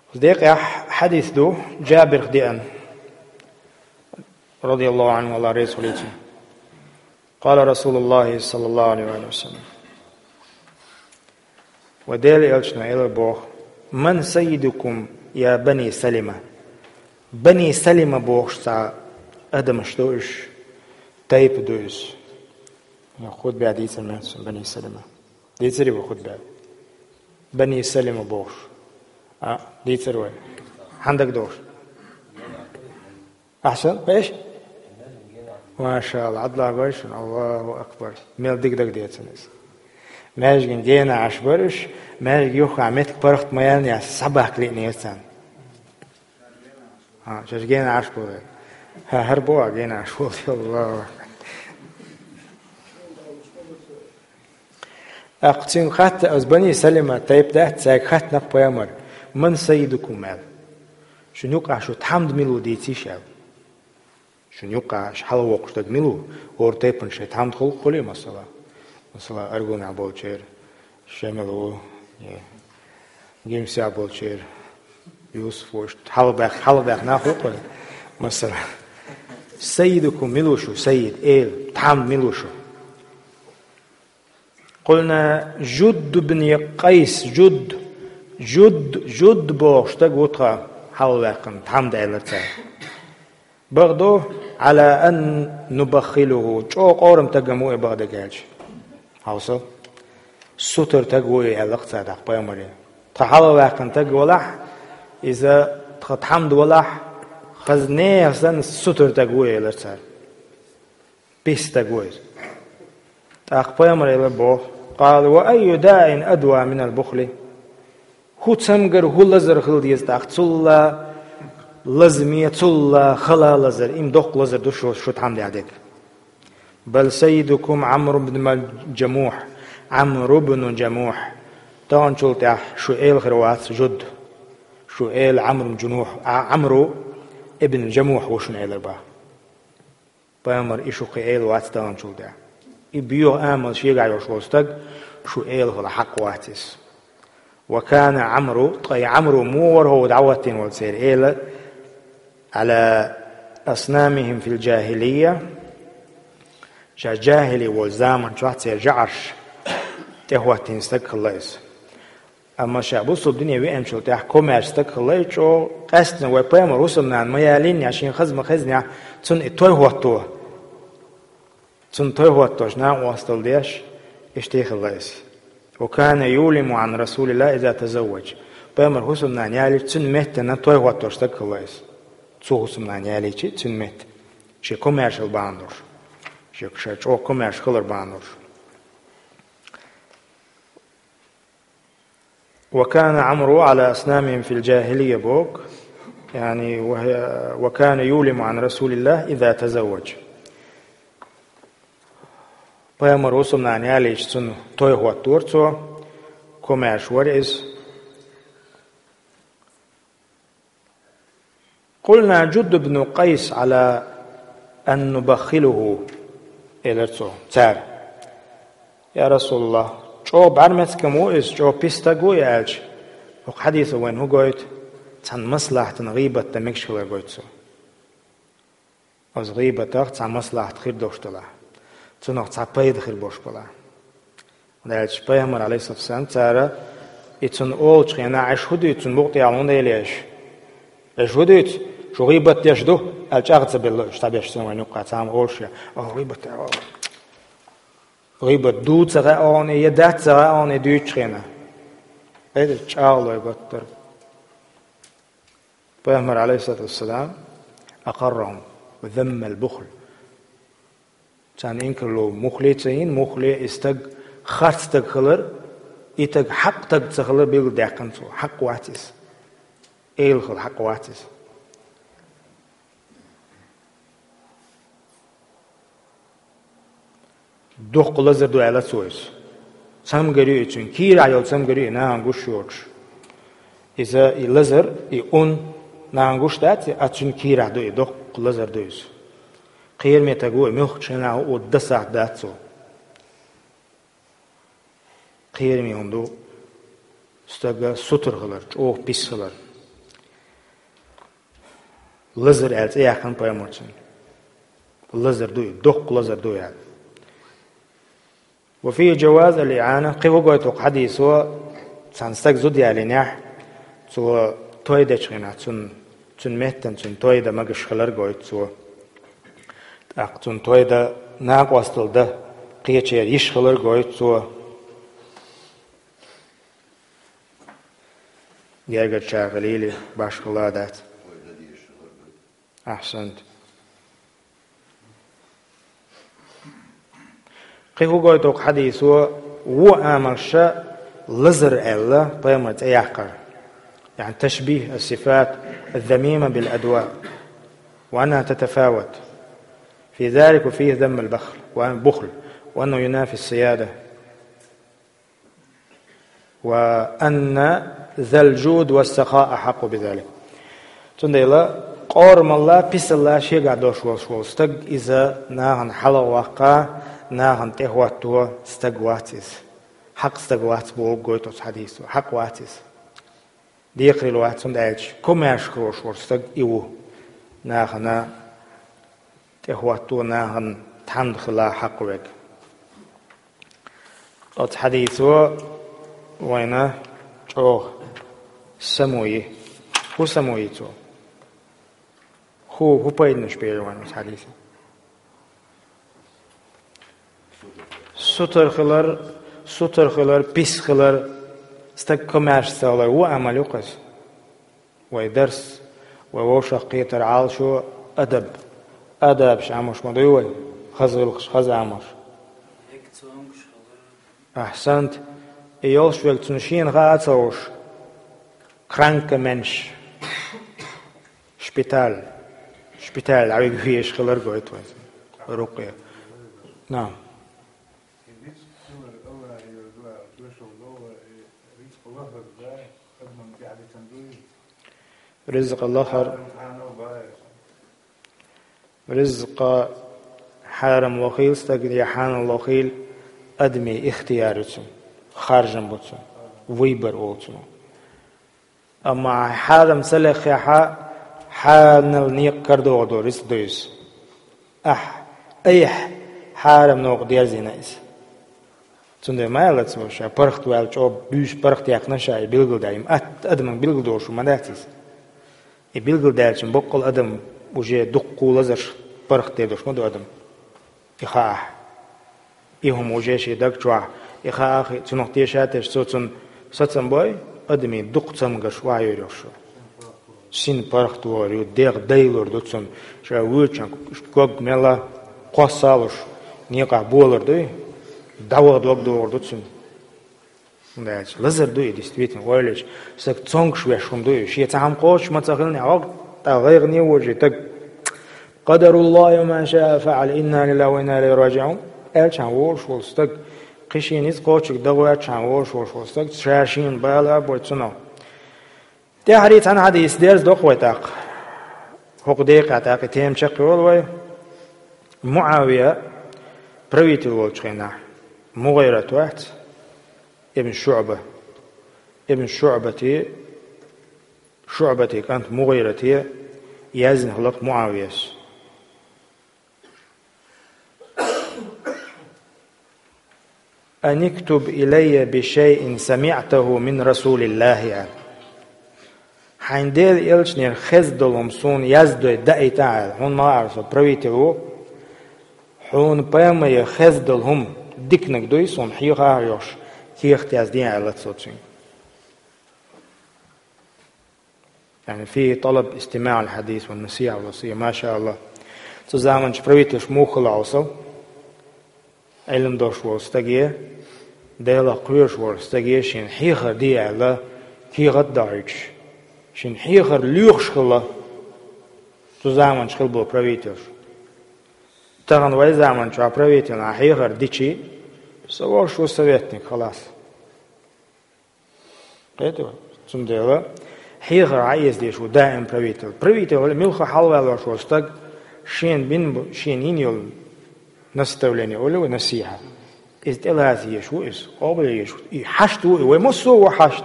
Оцу декъехь хьадис ду, Джабирах деана, радияллаху Ӏанху, Аллах реза хуьлийла цунна. Къала Расулуллахи саллаллаху Ӏалайхи ва саллам. Ва Делан элчано элира боху: «Ман саййидукум, я бани Салима?» Бани Салима бохуш цхьа адамаш ду уьш, тайпа ду иза. Хутбе дийцар ма ду сан бани Салима. Дийцарий вай хутбе? Бани Салима бохуш. А, дийцар вай. Хьан дага дохуш? Ахьсана, беш? Машалла, Ӏадла гой шуна, Аллаху акбар. Мел дика дага децан иза. Маьждиган гена Ӏаш бара уьш, маьждиг юххехь меттиг паргӀат ма яьллинехь, схьабахка лиънера царна. ХӀа, шаьш гена Ӏаш бу вай. ХӀа, хӀара бу а гена Ӏаш волу, Аллаху акбар. ТӀаккха цуьнга хатта, оцу бани Салима тайпа дац, цаьрга хаттанакх пайхамар: «Ман саййидукум?» аьлла. «Шуна юкъахь шу тхьамда мила ву дийцийша?» аьлла. «Шуна юкъахь аш хьалавоккхуш дерг мила ву?» ХӀора тайпана шайн тхьамда хуьлу, хуьлий, масала? Масала, Аргунехь болчеран Шемал ву, е Гимсехь болчеран Юсуф ву, иштта хьалабаьхна, хьалабаьхна нах ву кхуьнан, масала. «Саййидукум мила ву шу, саййид, эла, тхьамда мила ву шу?» «Къулна Жудд бин Къайс, Жудд, Жудд, Жудд бохуш стаг ву тхан хьалаваьккхина, тхьамда», аьллера цара. «Бакъду, Ӏала ан нубаххилуху, чӀогӀа къорам стаг-м ву и бакъдерг», аьлча. Хьовса. «Сутара стаг ву и», аьлла-кх цара тӀаккха пайхамаре. «Тхан хьалаваьккхина стаг валахь, иза тхан тхьамда валахь, хаза нехан санна сутара стаг ву», элира цара. Пис стаг ву иза. ТӀаккха пайхамар элира боху: «Къала: ва айю даин адва минал бухли?» ХӀун цамгар, хӀун лазар хила деза тӀаккха? Цул а лазаме, цул а хала лазар, и-м доккха лазар ду шу, шу тхьамда дерг. «Бал саййидукум Ӏамру бн Джамухь, Ӏамру бн Джамухь». Таханчул тӀаьхьа шу эла хир вац Жудд. Шу эла Ӏамру бн Джунухь, а, Ӏамру ибн Джамухь ву шуна элира боху. Пайхамар и шу кхин эла вац таханчул тӀаьхьа. И боьха амал шегахь йолуш волу стаг шу эла хила хьакъ вац иза. «Ва кана Ӏамру», ткъа и Ӏамру муха вара хӀокху дӀахӀоттийна волу церан эла, «Ӏала аснамихим фил джахилия», ша джахили волу заман чохь церан жӀарш тӀехӀоттийна стаг хилла иза. Амма ша бусалба дине веанчул тӀаьхьа комаьрша стаг хилла и чӀогӀа, къаьсттина вай пайхамар хӀусамнана ма ялийнехь, шен хаза ма хезнехь, цунна и той хӀотто. Цунна той хӀоттош накъосталла деш, иштта хилла иза. «Ва кана юлиму Ӏан Расулилла иза тазавваж». Пайхамар хӀусамнана ялийча, цуьнан меттана той хӀоттош стаг хилла иза. Цо хӀусамнана ялийча, цуьнан метта. Шен комаьршалла бахьана долуш. Шен ша чӀогӀа комаьрша хилар бахьана долуш. «Ва кана Ӏамру Ӏала аснамихим фил джахилия», боху, яъни, «ва, ва кана юлиму Ӏан Расулилла иза тазавваж». Пайхамар хӀусамнана ялийча, цунна той хӀоттора цо, комаьрша вара иза. «Къулна Джудду бну Къайс Ӏала ан нубаххилуху», элира цо, цара. «Я Расулаллах, чӀогӀа бӀаьрмецкам ву иза, чӀогӀа пис стаг ву и», аьлча, хӀокху хьадисо вайна хӀун гойту? Цхьана маслахьатана гӀийбат дан мегаш хилар гойту цо. Оцу гӀийбатах цхьа маслахьат хир долуш делахь, цунах цхьа пайда хир болуш белахь. Аьлча пайхамар, алейхиссалам, цара и цунна олучу хенахь, аша хӀун дуьйцу, цунна букъ тӀехь хӀунда елла аша? Аша хӀун дуьйцу? Шу гӀийбат деш ду? Аьлла чӀагӀ ца белла уьш, цхьаберш санна вайна юккъахь цхьа ма олуш я. Оха гӀийбат, оха гӀийбат ду ца хаьа оха, я дац ца хаьа оха дуьйцучу хенахь. Эдир чӀагӀлой баттара. Пайхамар, алейхиссалату вассалам, أقرهم وذم البخل. Царна инкарло мухле ца йина, мухле и стаг, харц стаг хилар, и стаг хьакъ стаг ца хилар билгалдаьккхина цо. Хьакъ вац из. Эла хила хьакъ вац из. Дукха лазар ду аьлла цо иза. Цамгар ю и цуьнан кийрахь йолу цамгар ю и нахана гуш йоцуш. Иза и лазар, и ун нахана гуш дац, а цуьнан кийрахь ду и, дукха лазар ду иза. Кхераме стаг ву и, муьлххачу хенахь а ву, дасахь дац цо. Кхераме хӀума ду стага сутара хилар, чӀогӀа пис хилар. Лазар аьлла цӀе яьккхина пайхамарца. Лазар ду и, доккха лазар ду и аьлла. وفيه جواز الإعانة. Кхин хӀун гойту хӀокху хьадисо, цхьана стаг зуда ялийнехь, цо той дечу хенахь, цунна, цуьнан меттана цунна той дан магаш хилар гойту цо. ТӀаккха цунна той дан, накъосталла дан кхечеран йиш хилар гойту цо. Гергарчара хилийла, башхалла а дац. Ахьсант. Кхин хӀун гойту хӀокху хьадисо, вон амалш лазар аьлла пайхамарца цӀе яккхар. يعني تشبيه الصفات الذميمة بالأدواء، وأنها تتفاوت في ذلك، وفيه ذم البخل، البخل، وأنه ينافي السيادة. وأن ذا الجود والسخاء أحق بذلك. Цундела къорамалла, писалла шегахь долуш волуш волу стаг, иза нахана хьалха ваккха, нахана тӀехӀотто стаг вац иза. Хьакъ стаг вац бохург гойту оцу хьадисо. Хьакъ вац иза. Декхарийлахь вац, хӀунда аьлча комаьрша хилуш волу стаг и ву. Нахана тӀехӀотто, нахана тхьамда хила хьакъ верг. Оцу хьадисо вайна чӀогӀа само йи. ХӀун само йи цо? ХӀун, хӀун пайданаш бер вайна оцу хьадисо? Сутара хилар, сутара хилар, пис хилар, стаг комаьрша ца хилар, вон амал ю-кх иза. Вай дарс, вай вовшах кхетар Ӏалашо адаб. Адабаш Ӏамош ма дуй вай, хаза гӀиллакхаш, хаза Ӏамош. Ахьсант, и йолуш верг цунна шена хаа а ца хууш, кранкеменш, шпиталь, шпиталь дӀавига везаш хилар гойту вайн. Рукъе. На. Ризкъа лахар. Ризкъа хьарам лохийла стаг я хьанал лохийла, адамийн ихтияр ю цуьнан, харжам бу цуьнан, выбор олу цунах. Амма хьарам ца леххехь, хьанал некъа карадогӀур долу рицкъ ду иза. Ахь, айхьа хьарам новкъа дерзийна иза. Цундела ма аьлла цо, ша паргӀат ваьлла чӀогӀа буьйса паргӀат яьккхина ша и билгалдаьлла. Ат-, адаман билгалдолуш ма дац иза. И билгалдаьллачун боккъал адам уже дуккха лазарш паргӀат дер долуш ма ду адам. И хаахь. И хӀума уже шен даг чохь, и хаахь, цунах теша а тешаш, цо цунна сацам бой, адамийн дукха цамгарш охьайуьйр йолуш. Син паргӀат вогӀур ю, дегӀ дайлур ду цунна, ша воьдучохь ког мелла кхосса а луш, некъахь болар дуй, дӀаваха дог догӀур ду цуьнан. ХӀунда аьлча лазар ду и, действительно, ойла йича, стаг цомгуш веш хӀума ду и. Шен цхьа хӀума кхочуш ма ца хилла, хьо тӀаккха гӀайгӀане вожий стаг. قدر الله وما شاء فعل، إنا لله وإنا إليه راجعون. Аьлчахьана волуш волу стаг, кхин шен ницкъ кхочург дан гӀоьртчахьана волуш волуш волу стаг, ша шена бала а бой цунах. ТӀаьхьарий цхьана хьадис дерзадо-кх вай тӀаккха. ХӀокху декъехь тӀаккха и тема чекхйолу вай. МуӀавия правитель волчу хенахь, МугӀират вац, ибн ШуӀба. Ибн ШуӀбати, ШуӀбати кӀант МугӀирате яздина хилла-кх МуӀавияс. أن اكتب إلي بشيء سمعته من رسول الله, аьлла. Хьайн Делан элчанера хезна долу хӀума суна яздой даита, аьлла. Хьуна ма хаьара, со правитель ву. Хьуна пайхамарера хезна долу хӀума диканиг дуй, суна хьехахьара йохуш, кехат яздина, аьлла цо цуьнга. يعني فيه طلب استماع الحديث والنصيحة والوصية. ما شاء الله. Цу заманчу правительш муха хилла хьовсал? Ӏилма долуш волу стаге, Делах кхоьруш волу стаге шен хьехар де аьлла, кехат а дохьуьйтуш, шен хьехар лоьхуш хилла цу заманчу хилла болу правительш. Тахана вай заманчохь правительна хьехар дичи, со волуш ву советник, халас. Кхетий вай? Цундела хьехар Ӏан эца дезаш ву даим правитель. Правитель вала муьлхха хьалавалош волу стаг шена бина бу, шена йина йолу наставление, олу вай, насихьа. Иза тӀелаца езаш ву иза, къобал езаш ву. И хьашт ву и, вай массо а ву хьашт.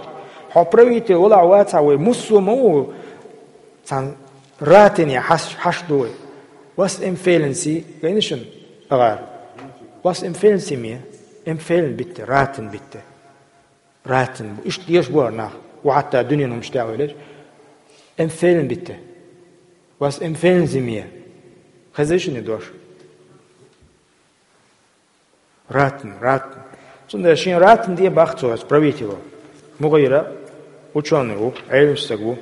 Хьо правитель валахь вацахь, вай массо а ма ву цхьана ратине хьаш-, хьашт ву вай. Was empfehlen Sie, гайна шуна, агӀар? Was empfehlen Sie mir? Empfehlen bitte, raten bitte. Ратин бу. Иштта дезаш бу хӀара нах. Ва хьатта дуьненан хӀуманаш тӀехь ваьлча, empfehlen bitte. Was empfehlen Sie mir? Хезий шуна и дош? Ратин, ратин. Цундела шен ратин де баха цо ас правитело. МугӀира учёный ву, Ӏелам стаг ву.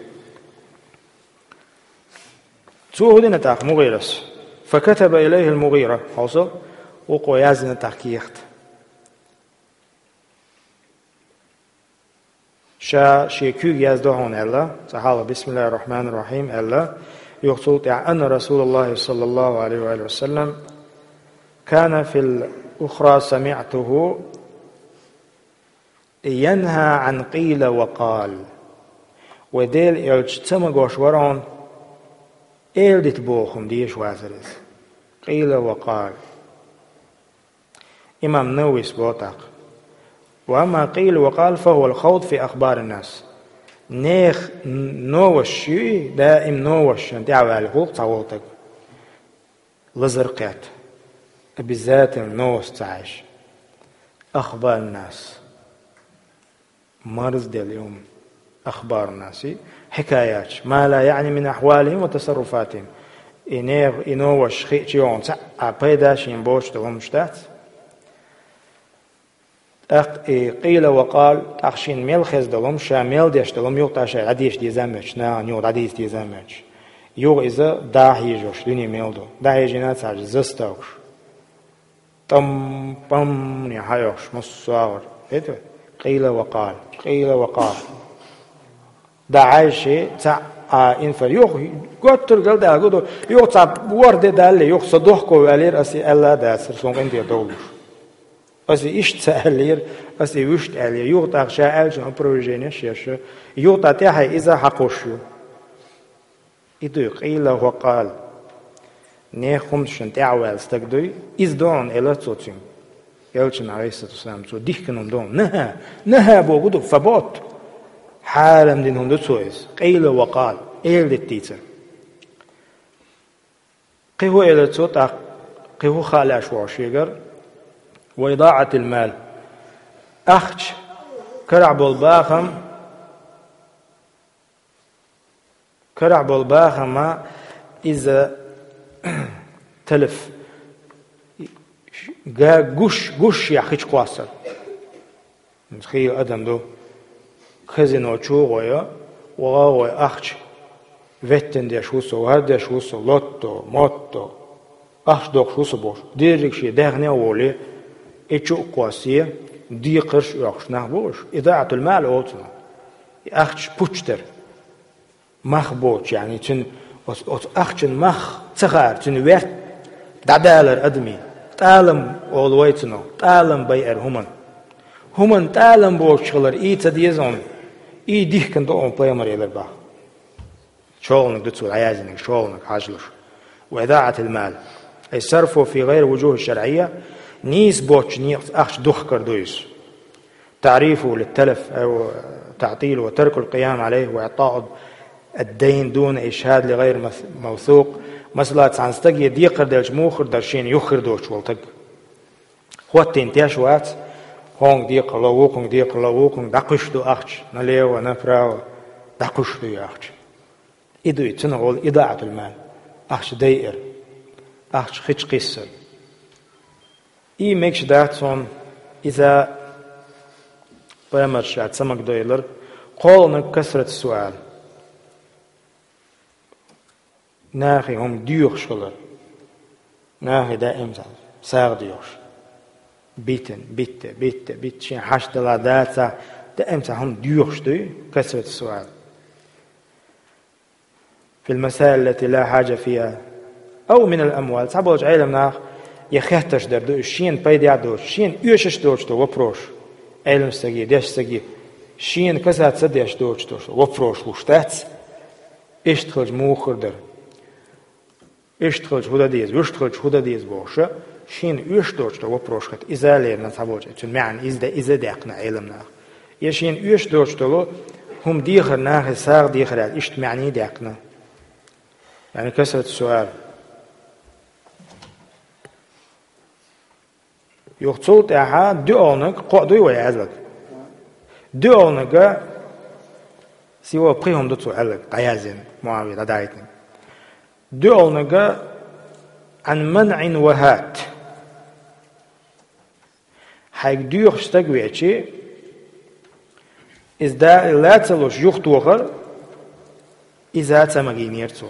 Цо хӀун дина тӀаккха МугӀирас? فكتب إليه المغيرة. Хьовсал, вукхо яздина тӀаккха кехат. Ша шен куьйга яздо хьуна аьлла, цкъа хьалха بسم الله الرحمن الرحيم аьлла, юха цул тӀаьхьа أن رسول الله صلى الله عليه وآله وسلم كان في الأخرى سمعته ينهى عن قيل وقال. Вай Делан элча ца магош вара хьуна, эладита боху хӀума дезаш вацара иза. قيل وقال. Имам Нававис боху тӀаккха: وأما قيل وقال فهو الخوض في أخبار الناس. Нехан новаш ю, даим новашна тӀаьхьаваьлла хуьлу цхьаволу стаг. Лазар кхетта. Обязательно новаш ца хьаьжча. أخبار الناس. Марзделла ю хӀума. أخبار الناس. Хьикаяташ. ما لا يعني من أحوالهم وتصرفاتهم. И нехан, и новаш хиъча йогӀун цхьа а пайда шена боцуш долу хӀуманаш дац. ТӀаккха и قيل وقال, тӀаккха шена мел хезна долу хӀума, ша мел деш долу хӀума юха тӀаккха ша дӀадеша деза а моьттуш, нахана юха дӀадийца деза а моьттуш. Юха иза дӀахьежош дуьне мел ду. ДӀахьежийна цхьа заставкаш. ТӀам-пӀам-м хьайохуш, массо а агӀор. Хетий вай? قيل وقال, قيل وقال. ДӀахьаьжча, цхьа а инфа-, юха готтар галдаьлла гу ду, юха цхьа ворхӀ де далале, юха со дохко ваьллера, ас и аьлла а дацара, суна къинтӀера довлуш. Ас и иштта ца аьллера, ас и вуьшта аьллера. Юха тӀаккха ша аьллачун опровержение еш, юха тӀаккха тӀаьхье иза хьакхуш ю. И дуй, قيل وقال. Нехан хӀуманашна тӀаьхьаваьлла стаг дуй, иза ду хьуна, элира цо цуьнга. Элчано, عليه الصلاة والسلام, цо дихкина хӀума ду хьуна. نهى, نهى бохург ду, فبوت. Хьарам дина хӀума ду цо иза. قيل وقال. Эладита дийцира. Кхин хӀун элира цо тӀаккха, кхин хӀун хаалаш ву шегара? وإضاعة المال. Ахча, карахь болу бахам, карахь болу бахам иза талаф, га-, гуш, гуш яхьа хи чу кхоссар. Хийла адам ду. Казино чу гӀой, ваха гӀой ахча. Веттина деш ву со, вар деш ву со, лотто, мотто. Ахча доккхуш ву со бохуш. Дерриг шен даьхне а волий, и чу а кхоссий, декхарш а оьхуш нах бу уьш. إضاعة المال олу цунах. И ахча пуч дара. Мах боцуш, яъни, цуьнан оцу, оцу ахчан мах ца хаьара, цуьнан верт дӀадалар адамийн. ТӀалам олу вай цунах, тӀалам байар хӀуманна. ХӀуманна тӀалам боцуш хилар и ца деза хьуна, и дихкина ду хьуна, пайхамар элира боху. ШолгӀаниг ду цо дӀаяздинарг, шолгӀаниг хьажалаш. وإضاعة المال. أي صرفه في غير وجوه شرعية, нийса боцучу некъаца ахча духкар ду иза. تعريفه للتلف أو تعطيله وترك القيام عليه وإعطاء الدين دون إشهاد لغير مث-، موثوق. Масала, цхьана стаге декхар делча, муха хир дара шена юха хир доцуш волу стаг? ХӀоттийна теш вац, хьуна декхар ло, вукхунга декхар ло, вукхунга дӀакхуьйсуш ду ахча, налево, направо, дӀакхуьйсуш ду и ахча. И ду и, цунах олу إضاعة المال. Ахча дайар. Ахча хи чу кхиссар. И мегаш дац хьуна, иза пайхамара ша ца магадевлира, кхолгӀаниг كثرة السؤال. Нахе хӀума доьхуш хилар. Нахе даим цхьа сагӀа доьхуш. Битина, битта, битта, битта, шен хьашт дала дацахь, даим цхьа хӀума доьхуш дуй, كثرة السؤال في المسائل التي لا حاجة فيها أو من الأموال. Цхьаболчу Ӏеламнаха я хеттарш дар ду, уьш шена пайдехь доцуш, шена оьшуш доцуш ду вопрос. Ӏелам стаге, деш стаге, шена касаться деш доцуш ду вопрос луш дац. Иштта хилча муха хир дара? Иштта хилча хӀун дан деза, вуьшта хилча хӀун дан деза бохуша, шена оьшуш доцуш ду вопрос хета. Иза лерина цхьаболчу, цуьнан маьӀна иза де, иза даьккхина Ӏеламнаха. Я шена оьшуш доцуш долу хӀума дехар нахе сагӀа дехар аьлла, иштта маьӀний даьккхина. Яъни كثرة السؤال. Юха цул тӀаьхьа дуьхьалниг кхоъ дуй вай аьлларг. Дуьхьалниг, сиво пхи хӀума ду цо аьлларг, дӀаяздина, Муавия дӀадаийтинарг. Дуьхьалниг عن منع وهات. Хьайга доьхуш стаг веачи, иза да-, лаца луш юхатохар, иза ца магийнера цо.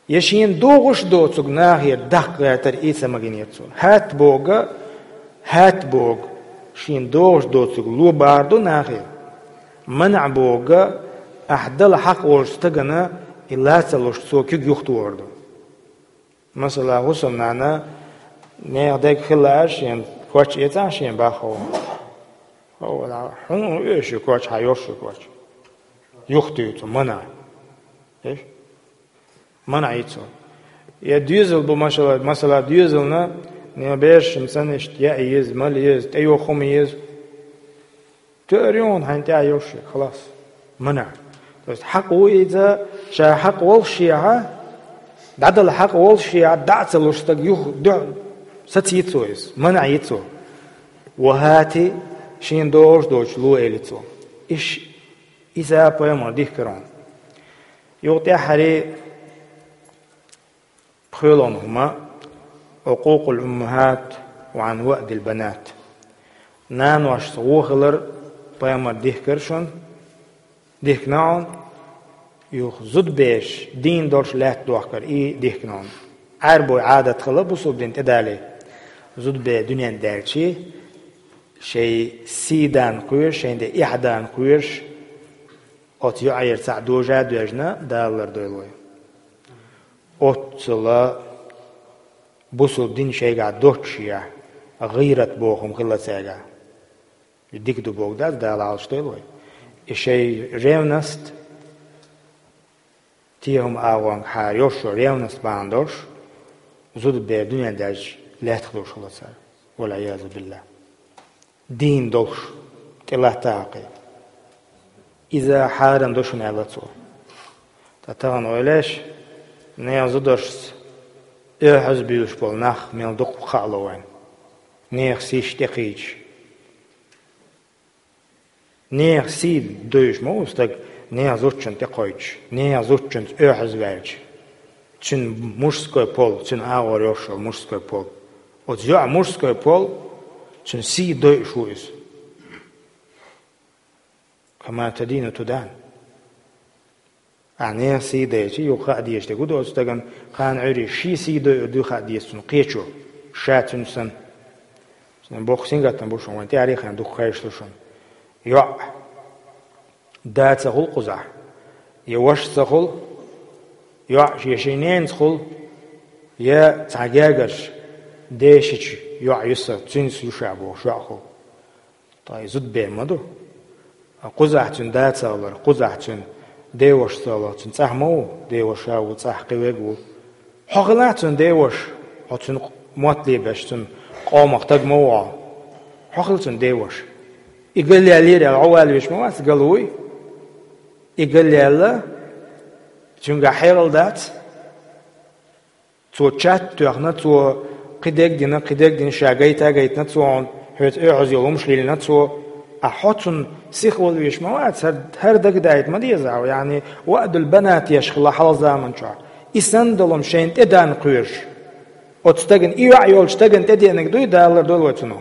Я шена догӀуш доцург нахера даккха гӀертар, и ца магийнера цо. Хат боху, хат боху, шена догӀуш доцург ло бахьар ду нахе. МанӀа боху, ахь дала хьакъ волчу стагана и лаца луш цо куьг юхатохар ду. Масала, хӀусамнана нехан дерг хилла аьлла шена коч эцахь шена баххо. ХӀун оьшу коч, хьан йошу коч? Юхатуьйцу, манӀа. Эш? МанӀа йицу. Я доьзал бу, машалла, масала, доьзална, не бешшина санна иштта яа еза, мала еза, тӀейоху хӀума еза. Тоьар ю хьуна хьайна тӀехь йолуш, халас. МанӀа. То есть хьакъ ву иза, ша хьакъ волушехьа, дӀадала хьакъ волушехьа, дӀа а ца луш стаг юха дуьхьа сацийцо иза. МанӀа йицо. Ва хӀати, шена догӀуш доцуш ло элицо. Иш, иза пайхамар дихкар хьуна. Юха тӀаьххьаре пхоьалгӀан хӀума, عقوق الأمهات وعن وأد البنات. Наношца вон хилар пайхамар дихкар шуна, дихкина хьуна, юха зудабераш дийна долуш лаьтта дохкар и дихкина хьуна. Ӏаьрбойн Ӏадат хилла бусалба дин тӀедале. Зудабер дуьнен даьлчи, шайн сий дан кхоьруш, шайн де эхь дан кхоьруш, оцу йоӀера цхьаъ дожа а доьжна, Дала лардойла вай. Оццула бусалба дин шайгахь доццушехь, гӀийрат боху хӀума хилла цаьргахь. И дика ду боху дац, Дала Ӏалашдойла вай. И шайн ревность, те хӀума агӀонгахьара йолуш, ревность бахьана долуш, зудабер дуьнен даьлча лаьттах долуш хилла цара. والعياذ بالله. Дийна долуш, тӀелатта хьакхе. Иза хьарам ду шуна аьлла цо. Ткъа тахана ойла еш, нехан зударшца оьхьаза буьйлуш болу нах мел дукха хаало вайна. Нехан сийш тӀекхийча. Нехан сий дойуш ма ву стаг, нехан зудчунна тӀекхойтуш, нехан зудчуьнца оьхьаза ваьлча. Цуьнан мужской пол, цуьнан агӀор йолуш йолу мужской пол. Оцу йоӀан мужской пол, цуьнан сий дойуш ву иза. كما تدين تدان. Ахьа нехан сий дайча, юха хаа дезаш дерг хӀун ду оцу стагана, кхана Ӏуьйре шен сий дойур дуй хаа деза цунна кхечо, ша цуьнан санна. Цуьнан боккха сингаттам бу шуна, вайн тӀаьхьарехь а дукха хезаш ду шуна. ЙоӀ, да ца хуьлу кхузахь, я ваша ца хуьлу, йоӀ шен, шен ненца хуьлу, я цхьа гергарчу дешича йоӀ ю сан, цуьнца ю ша бохуш йоӀ хуьлу. Ткъа и зудабер ма ду. Кхузахь цуьнан да ца хилар, кхузахь цуьнан деваша ца хилар, цуьнан цӀахь ма ву, деваша ву, цӀахь кхин верг ву. Хьо хилахь цуьнан деваша, хьо цуьнан мотт лебеш, цуьнан къомах таг ма ву хьо. Хьо хила цуьнан деваша. И галъяьллера аьлла, хьо валавеш ма вац, гала вуй. И галъяьлла, цуьнгахь хьерал дац. Цо чат а тоьхна, цо кхидерг а дина, кхидерг а дина, ша гайта а гайтина цо хьуна, хьоьца оьхьаза йолу хӀумаш лелийна цо. Ахьа хьо цунна сиха вала везаш ма вац, хӀара, хӀара дагадайта ма деза хьо, яъни, ваъдул банат еш хилла хьалха заман чохь. И санна долу хӀума шайна тӀедан кхоьруш. Оцу стагана, и йоӀ йолчу стагана тӀедеанарг дуй, Дала лардойла вай цунах.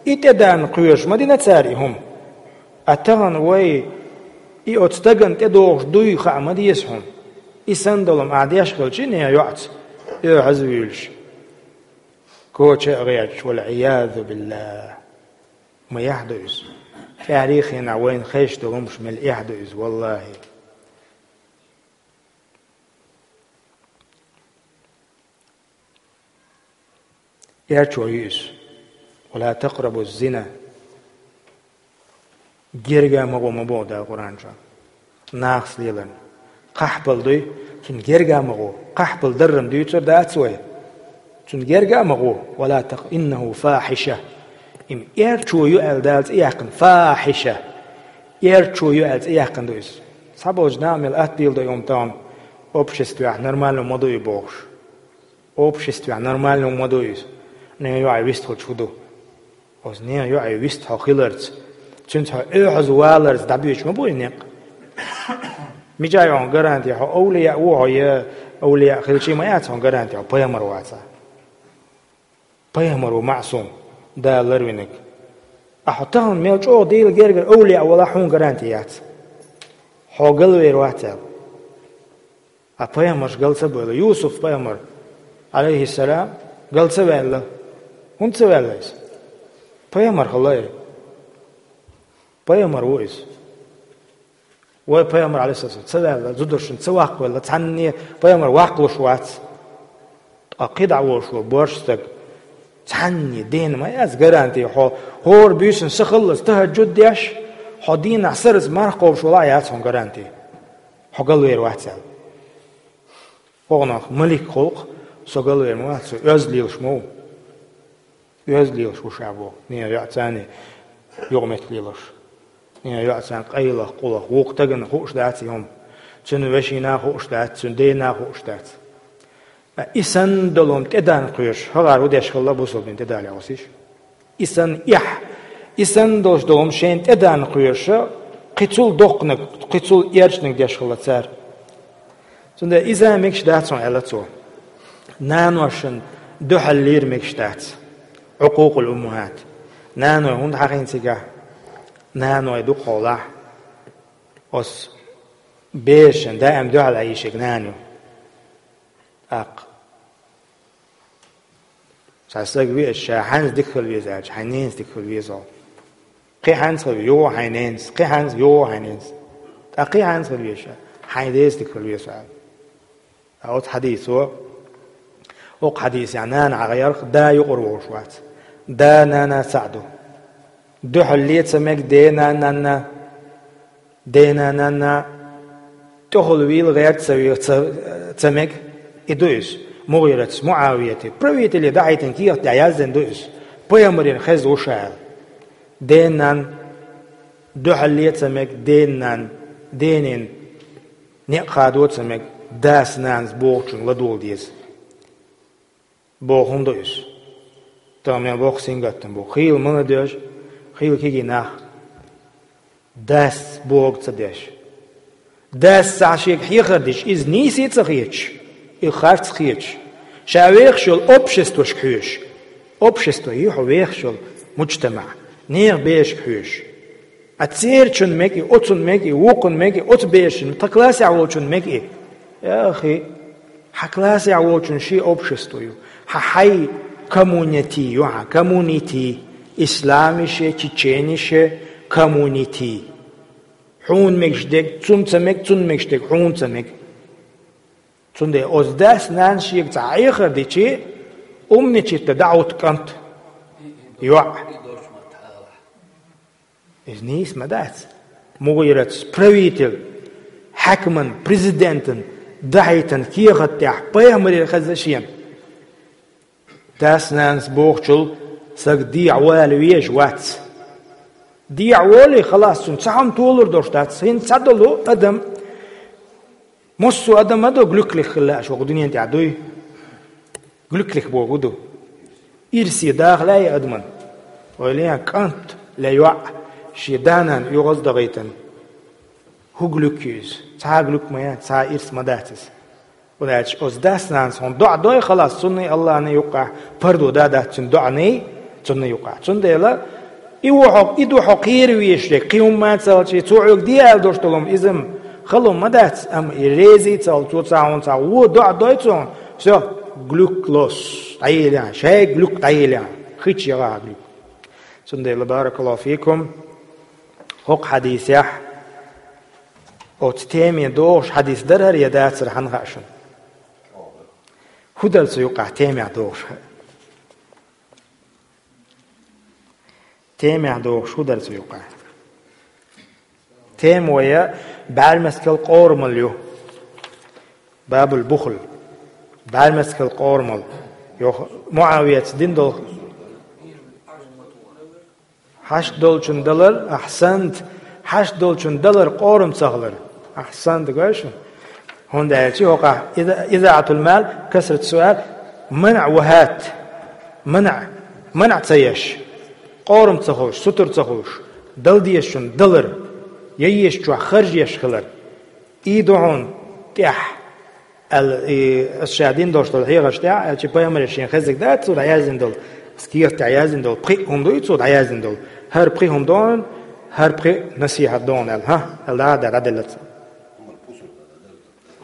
И тӀедан кхоьруш ма дина цара и хӀума. А тахана вай, и оцу стагана тӀедогӀуш дуй хаа ма деза хьуна. И санна долу-м ахь деш хилча, нехан йоӀца оьхьазвуьйлуш, коча а гӀерташ, вал-Ӏиязу биллахӀ. Ма яхь ду иза. ТӀаьхьарчу хенахь вайна хезаш долу хӀумнаш мел эхь ду иза, валлахӀи. Эрчо ю иза. «Ва ла такърабу зина». Герга ма гӀо, ма боху Дала Къуръан чохь. Нахаца леларна. Къахьбала дуй, цунна герга ма гӀо. Къахьбала даррам дуьйцур дац вай. Цунна герга ма гӀо. «Ва ла такъ-, иннаху фахьиша». Им эрчо ю аьлла Дала цӀе яьккхина. Фахьиша. Эрчо ю аьлла цӀе яьккхина ду иза. Цхьаболчу наха мел атта дийла до и хӀума тахана, обществехь нормально ма ду и бохуш. Обществехь нормально ма ду иза. Нехан йоӀе вистхуьлуш хӀун ду? Оцу нехан йоӀе вист хьо хиларца, цуьнца хьо оьхьаза валарца дӀабоьдуш ма бу и некъ. Мичахь ю хьуна гаранти, хьо овлияъ ву хьо я овлияъ хилчий ма яц хьуна гаранти, хьо пайхамар вацахь. Пайхамар ву маъсум, Дала ларвинарг. Ахьа хьо тахана мел чӀогӀа Делан гергара овлияъ валахь, хьуна гаранти яц. Хьо галвер вац аьлла. Ткъа пайхамарш гал ца бевлла. Юсуп-пайхамар, Ӏалайхиссалам, гал ца ваьлла. ХӀунда ца ваьлла иза? Пайхамар хилла и. Пайхамар ву иза. Вай пайхамар, Ӏалайхиссалам, ца ваьлла, зударшна ца ваккхавелла, цхьанне пайхамар ваккхалуш вац. Ткъа кхидӀа волуш ву борш стаг. Цхьанне дена ма яц гаранти хьо, хӀора буьйсанна са халлалц тахӀажжуд деш, хьо дийнахь сарралц марха кхобуш валахь яц хьуна гаранти. Хьо галвер вац аьлла. Оха нах малик хуьлу-кх, со галвер ма вац, со оьзда лелаш ма ву. Оьзда лелаш ву ша боху. Нехан йоӀ царна юкъаметтиг лелаш. Нехан йоӀ царна къайлах, къулах. Вукху стагана хууш дац и хӀума. Цуьнан вешина хууш дац, цуьнан дена хууш дац. Ткъа и санна долу хӀума тӀедан кхоьруш, хӀагӀара хӀун деш хилла бусалба дин тӀедалехь оцу иша? И санна эхь, и санна долуш долу хӀума шайна тӀедан кхоьруш, кхин цул доккханиг, кхин цул эрчаниг деш хилла цара. Цундела иза мегаш дац хьуна аьлла цо. Наношна дуьхьал лийр мегаш дац. Ӏукъукъул уммахӀат. Наной хӀунда хьахийна цигахь? Наной дукха хьолахь. Оцу берашна даим дуьхьал Ӏийшиг нана ю. ТӀаккха цхьа стаг веача, ша хьаьнца дика хила веза аьлча, хьайн ненца дика хила веза хьо. Кхин хьаьнца хила веза, юха хьайн ненца, кхин хьаьнца, юха хьайн ненца. ТӀаккха кхин хьаьнца хила веза ша, хьайн деца дика хила веза хьо аьлла. Ткъа оцу хьадисо, оцу хьадисехь нана хьахийча, да юкъара волуш вац. Да, нана цхьаъ ду. Дуьхьал ле ца мега дена, нанна. Дена, нанна, тӀехула вийла гӀерта ца ве-, ца, ца мега. И ду иза. МугӀирата, МуӀавияте, правителе дӀахьийтина кехат тӀехь яздина ду иза. Пайхамарна хезна ву ша аьлла. Дена, нанна, дуьхьал ле ца мега, дена, нанна, денин некъ хадо ца мега, дас, нанас бохучунна ладогӀа деза. Боху хӀума ду иза. Тахана мел боккха сингаттам бу. Хийла ма ладоьжу, хийла кегий нах. Дас бохург ца деш. Дас цхьа шега хьехар дича, иза нийса ца хеташ, и харц хеташ. Ша вехаш йолу обществошка хьоьжуш. Общество ю хьо вехаш йолу, муджтамаӀ. Нехан берашка хьоьжуш. А церачун мега и, оцун мега и, вукхун мега и, оцу берашун, тхан классехь волчун мега и. Яхи, хьан классехь волчун шен общество ю. Хьан хьайн коммунити ю хьан, коммунити. Исламише, чеченише, коммунити. Хьуна мегаш дерг цунна ца мега, цунна мегаш дерг хьуна ца мега. Цундела оцу дас, нанас шега цхьа хьехар дичи, умничать дӀахӀутту кӀант. ЙоӀ. Иза нийса ма дац. МугӀирата, правитель, хьаькаман, президентан дӀахьийтина кехат тӀехь пайхамарна хезна шена. Дас, нанас бохучул сага дехьа вала везаш вац. Дехьа волий, халас, цунна цхьа хӀума толур долуш дац. ХӀинца цхьадолу адам, массо а адам а ду, глюклих хила лаьаш вокху дуьнен тӀехь дуй. Глюклих боху ду. Ирсе даха лаьий адаман? Ойла е, кӀант ле йоӀ шен да-нана оьгӀаз а дахийтина. ХӀун глюк ю иза? Цхьа а глюк ма яц, цхьа а ирс ма дац иза. ХӀунда аьлча оцу дас-нанас хьуна доӀа дой, халас, цунна а, Аллахьна а юккъехь пардо дан дац цуьнан доӀанна а, цунна а юккъехь. Цундела и ву хьо, и ду хьо кхера везаш дерг, кхин хӀумма а ца хилча, цо хьоьга де аьлла долуш долу хӀума иза-м Хало ма дац, амма и реза ца хилча, цо цхьа хьуна цхьа вон доӀа дой цунна, всё, глюк лос, дӀаеллехь, шайга глюк дӀаеллехь, хи чу ягӀа глюк. Цундела, баракаллаху фикум, хӀокху хьадисехь, оцу теме догӀуш хьадис дара хӀара я дацара хьанна хаьа шуна? ХӀун дара цу юкъахь темехь догӀуш? Темехь догӀуш хӀун дара цу юкъахь? Тема вай бӀаьрмецкал къорамал ю. Бабул бухл. БӀаьрмецкал къорамал. Йо, МуӀавияца дина долу хьашт долчун далар, ахьсант, хьашт долчун далар къорам ца хилар. Ахьсант, гой шу? ХӀунда аьлча хӀокхахь иза-, изаӀатул мал, касрат суал, манъ ва хӀат. Манъ, манъ ца еш, къорам ца хуьлуш, сутара ца хуьлуш, дала дезачун далар, я езачохь харж еш хилар. И ду хьуна тӀехь, аьлла, и, аса ша дина долуш долу хьехарш тӀехь, аьлча пайхамаре шен хезиг дац цо дӀаяздина долу, аса кехат тӀехь яздина долу, пхиъ хӀума дуй цо дӀаяздина долу. ХӀара пхиъ хӀума ду хьуна, хӀара пхиъ насихьат ду хьуна аьлла, хӀа? Аьлла, да, да, дӀаделла цо.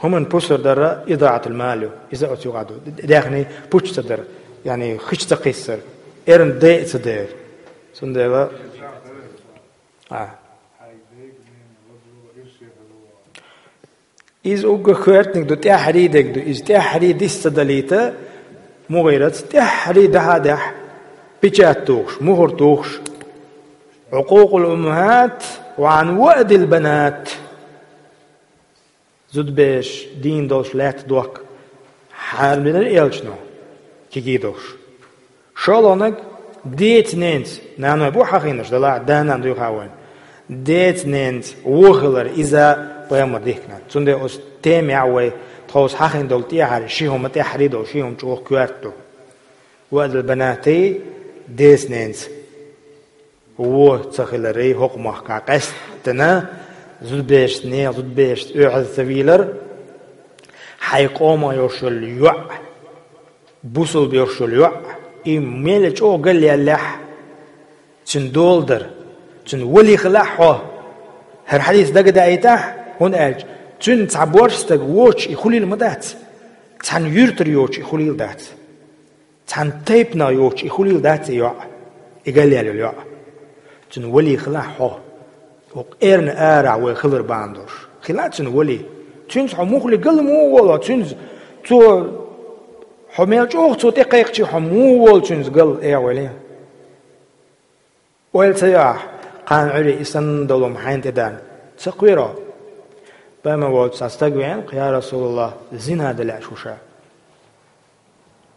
ХӀуманан пусар дара изаӀатул мал ю. Иза оцу юкъахь ду. Д-, даьхни пуч ца дара. Яъни хи чу ца кхиссара. Эрна дайа ца дара. Цундела, а. Иза уггар коьртаниг ду, тӀаьххьарий дерг ду. Иза тӀаьххьарий дис ца далийта, муха дара иза, тӀаьххьарий дахьа а даьхьа, печать тухуш, мухӀар тухуш. Ӏукъукъул уммахӀат ва Ӏан ваъдил банат. Зудабераш дийна долуш лаьтта дохка хьарам динарг элчано, кегий долуш. ШолгӀаниг деца-ненаца, наной бу хьахийнарш, делахь а да-нана дуй хьан вайн. Деца-ненаца вон хилар, иза пайхамар дихкина. Цундела оцу темехь вай тховса хьахийна долу тӀаьххьара ши хӀума, тӀаьххьарий долу ши хӀума чӀогӀа коьрта ду. Ваъдил банати, деца-ненаца вон ца хиларий, хӀокху махкахь къаьсттина, зудаберашца нехан, зудаберашца оьгӀаз ца вийлар, хьайн къомах йолуш йолу йоӀ, бусулба йолуш йолу йоӀ, и мел чӀогӀа галъяьллехь, цуьнан дола дар, цуьнан валий хилахь хьо. ХӀара хьадис дагадаийтахь, хӀунда аьлча цуьнан цхьа борша стаг воцуш и хуьлийла ма дац, цхьана юьртара йоцуш и хуьлийла дац. Цхьана тайпанах йоцуш и хуьлийла дац и йоӀ, и галъяьлла йолу йоӀ. Цуьнан валий хилахь хьо. ХӀокху эрна арахь вай хилар бахьана долуш. Хила цуьнан валий. Цуьнца хьо муххале гал муха волу, цуьнца, цо хьо мел чӀогӀа цо тӀекхайкхича, хьо муха волу цуьнца гал, эгӀавелла. Ойла ца йо ахь, кхана Ӏуьйре и санна долу хӀума хьайна тӀедарна. Ца кхоьро. Пайхамар волчу цхьа стаг веана, я Расулаллах, зина дан лаьаш ву ша.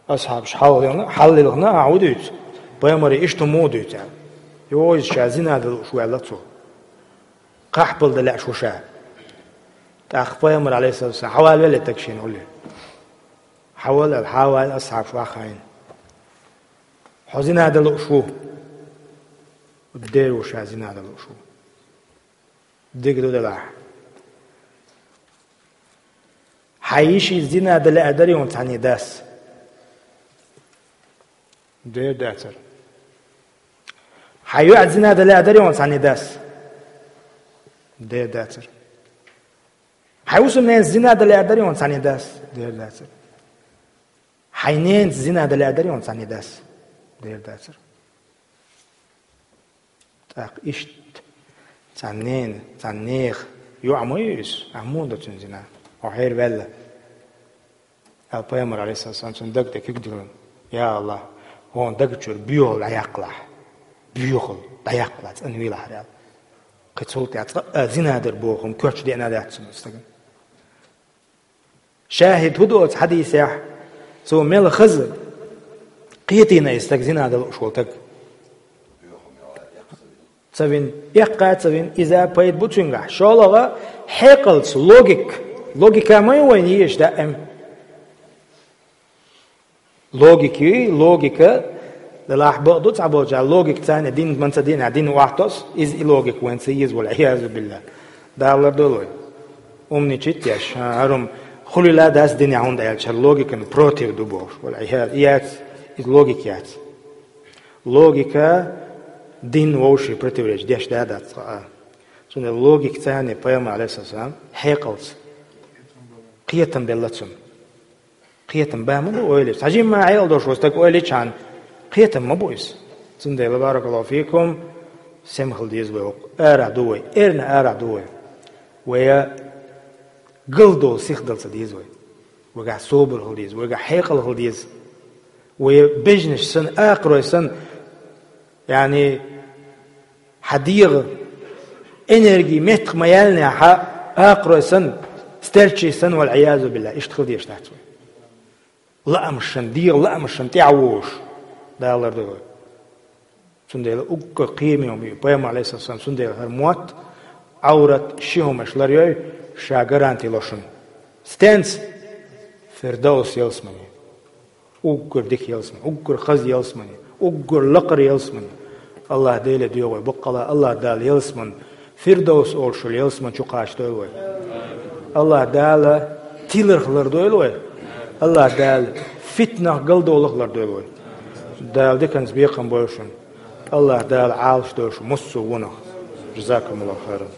Асхьабаш хьалхалелхина, хьаллелхина, ахьа хӀун дуьйцу? Пайхамаре иштта хӀума муха дуьйцу аьлла. Йо, иза ша зина дан лууш ваьлла цо. Кхахьпал дан лаьаш ву ша. ТӀаккха пайхамар, алейхиссалату вассалам, хьавалавелла и стаг шена гӀулле. Хьавала аьлла, хьавала, асхьабаш ваххийна. Хьо зина дан лууш ву. Дера ву ша зина дан лууш ву. Дика ду делахь. Хьан йишица зина дан лаьа дарий хьуна цхьанне дас? Дера дацара. Хьан йоӀца зина дан лаьа дарий хьуна цхьанне дас? Дера дацара. Хьан хӀусамненца зина дан лаьа дарий хьуна цхьанне дас? Дера дацара. Хьайн ненаца зина дан лаьа дарий хьуна цхьанне дас? Дера дацара. ТӀаккха иштта цхьана ненан, цхьана нехан йоӀ ма ю иза, ахьа муха до цуьнан зина? Хьо хьера ваьлла. Аьлла пайхамар, алейхиссалам, цуьнан даг тӀе куьг диллина. Я АллахӀ, хьуна даг чуьра боьхалла дӀаяккхалахь. Боьхалла дӀаяккхалахь, цӀанвийлахьара аьлла. Кхин цул тӀаьхьа цкъа а зина дар боху хӀума коьртачу деана дац цуьнан стагана. ШахӀид хӀун ду оцу хьадисехь? Цо мел хаза кхетийна и стаг, зина дан лууш волу стаг. Ца вина, эккха а ца вина, иза пайда бу цуьнгахь. ШолгӀа, хьекъалца, логика. Логика ма ю вайна езаш даим. Логика ю, логика, делахь бакъ ду цхьаболчара, логика царна дин ма ца дина, дин охьатосу, иза и логика вайна ца еза, валь-Ӏиязу биллахӀ. Дала лардойла вай. Умничать еш, хӀа, хӀара хӀума хуьлийла дац динехь, хӀунда аьлча хӀара логикан против ду бохуш, валь-Ӏияз, и яц, иза логика яц. Логика дин вовшийн противоречить деш да дац цкъа а. Цундела логика царна пайхамар, алейхиссалам, хьекъалца. Кхетам белла цунна. Кхетам ба ма бу ойла. Сажимма хьекъал долуш ву стаг ойла чан. Кхетам ма бу иза. Цундела, баракаллаху фикум, сема хила деза вай вокху. Ара ду вай. Эрна ара ду вай. Вая галдолу сихдал ца деза вай. Вайгахь собар хила деза. Вайгахь хьекъал хила деза. Вай бежнаш сан, акхарой сан, яъни, хьан дегӀа энерги меттах ма яьллинехь, хьан акхарой сан, стерчий сан, вал-Ӏиязу билла, иштта хила дезаш дац вай. Лаамашан, дегӀа лаамашан тӀаьхьа вогӀуш, Дала лардойла вай. Цундела уггар кхиаме хӀума ю, пайхамар, алейхиссалам, цундела хӀара мотт, Ӏаврат, ши хӀумаш ларйой, ша гаранти ло шуна. Стенца? Фирдовс ялсамани. Уггар дика ялсамани, уггар хаза ялсамани, уггар лакхара ялсамани. Аллах Деле доьху вай баккъала, Аллах Дала ялсаман Фирдовс олуш йолу ялсаман чу кхачадойла вай. Аллах Дала тиларх лардойла вай. Аллах Дала фитнах, галдолах лардойла вай. Дала диканца бекхам бойла шуна. Аллах Дала Ӏалаш дойла шу массо а вонах. Жазакумуллаху хайран.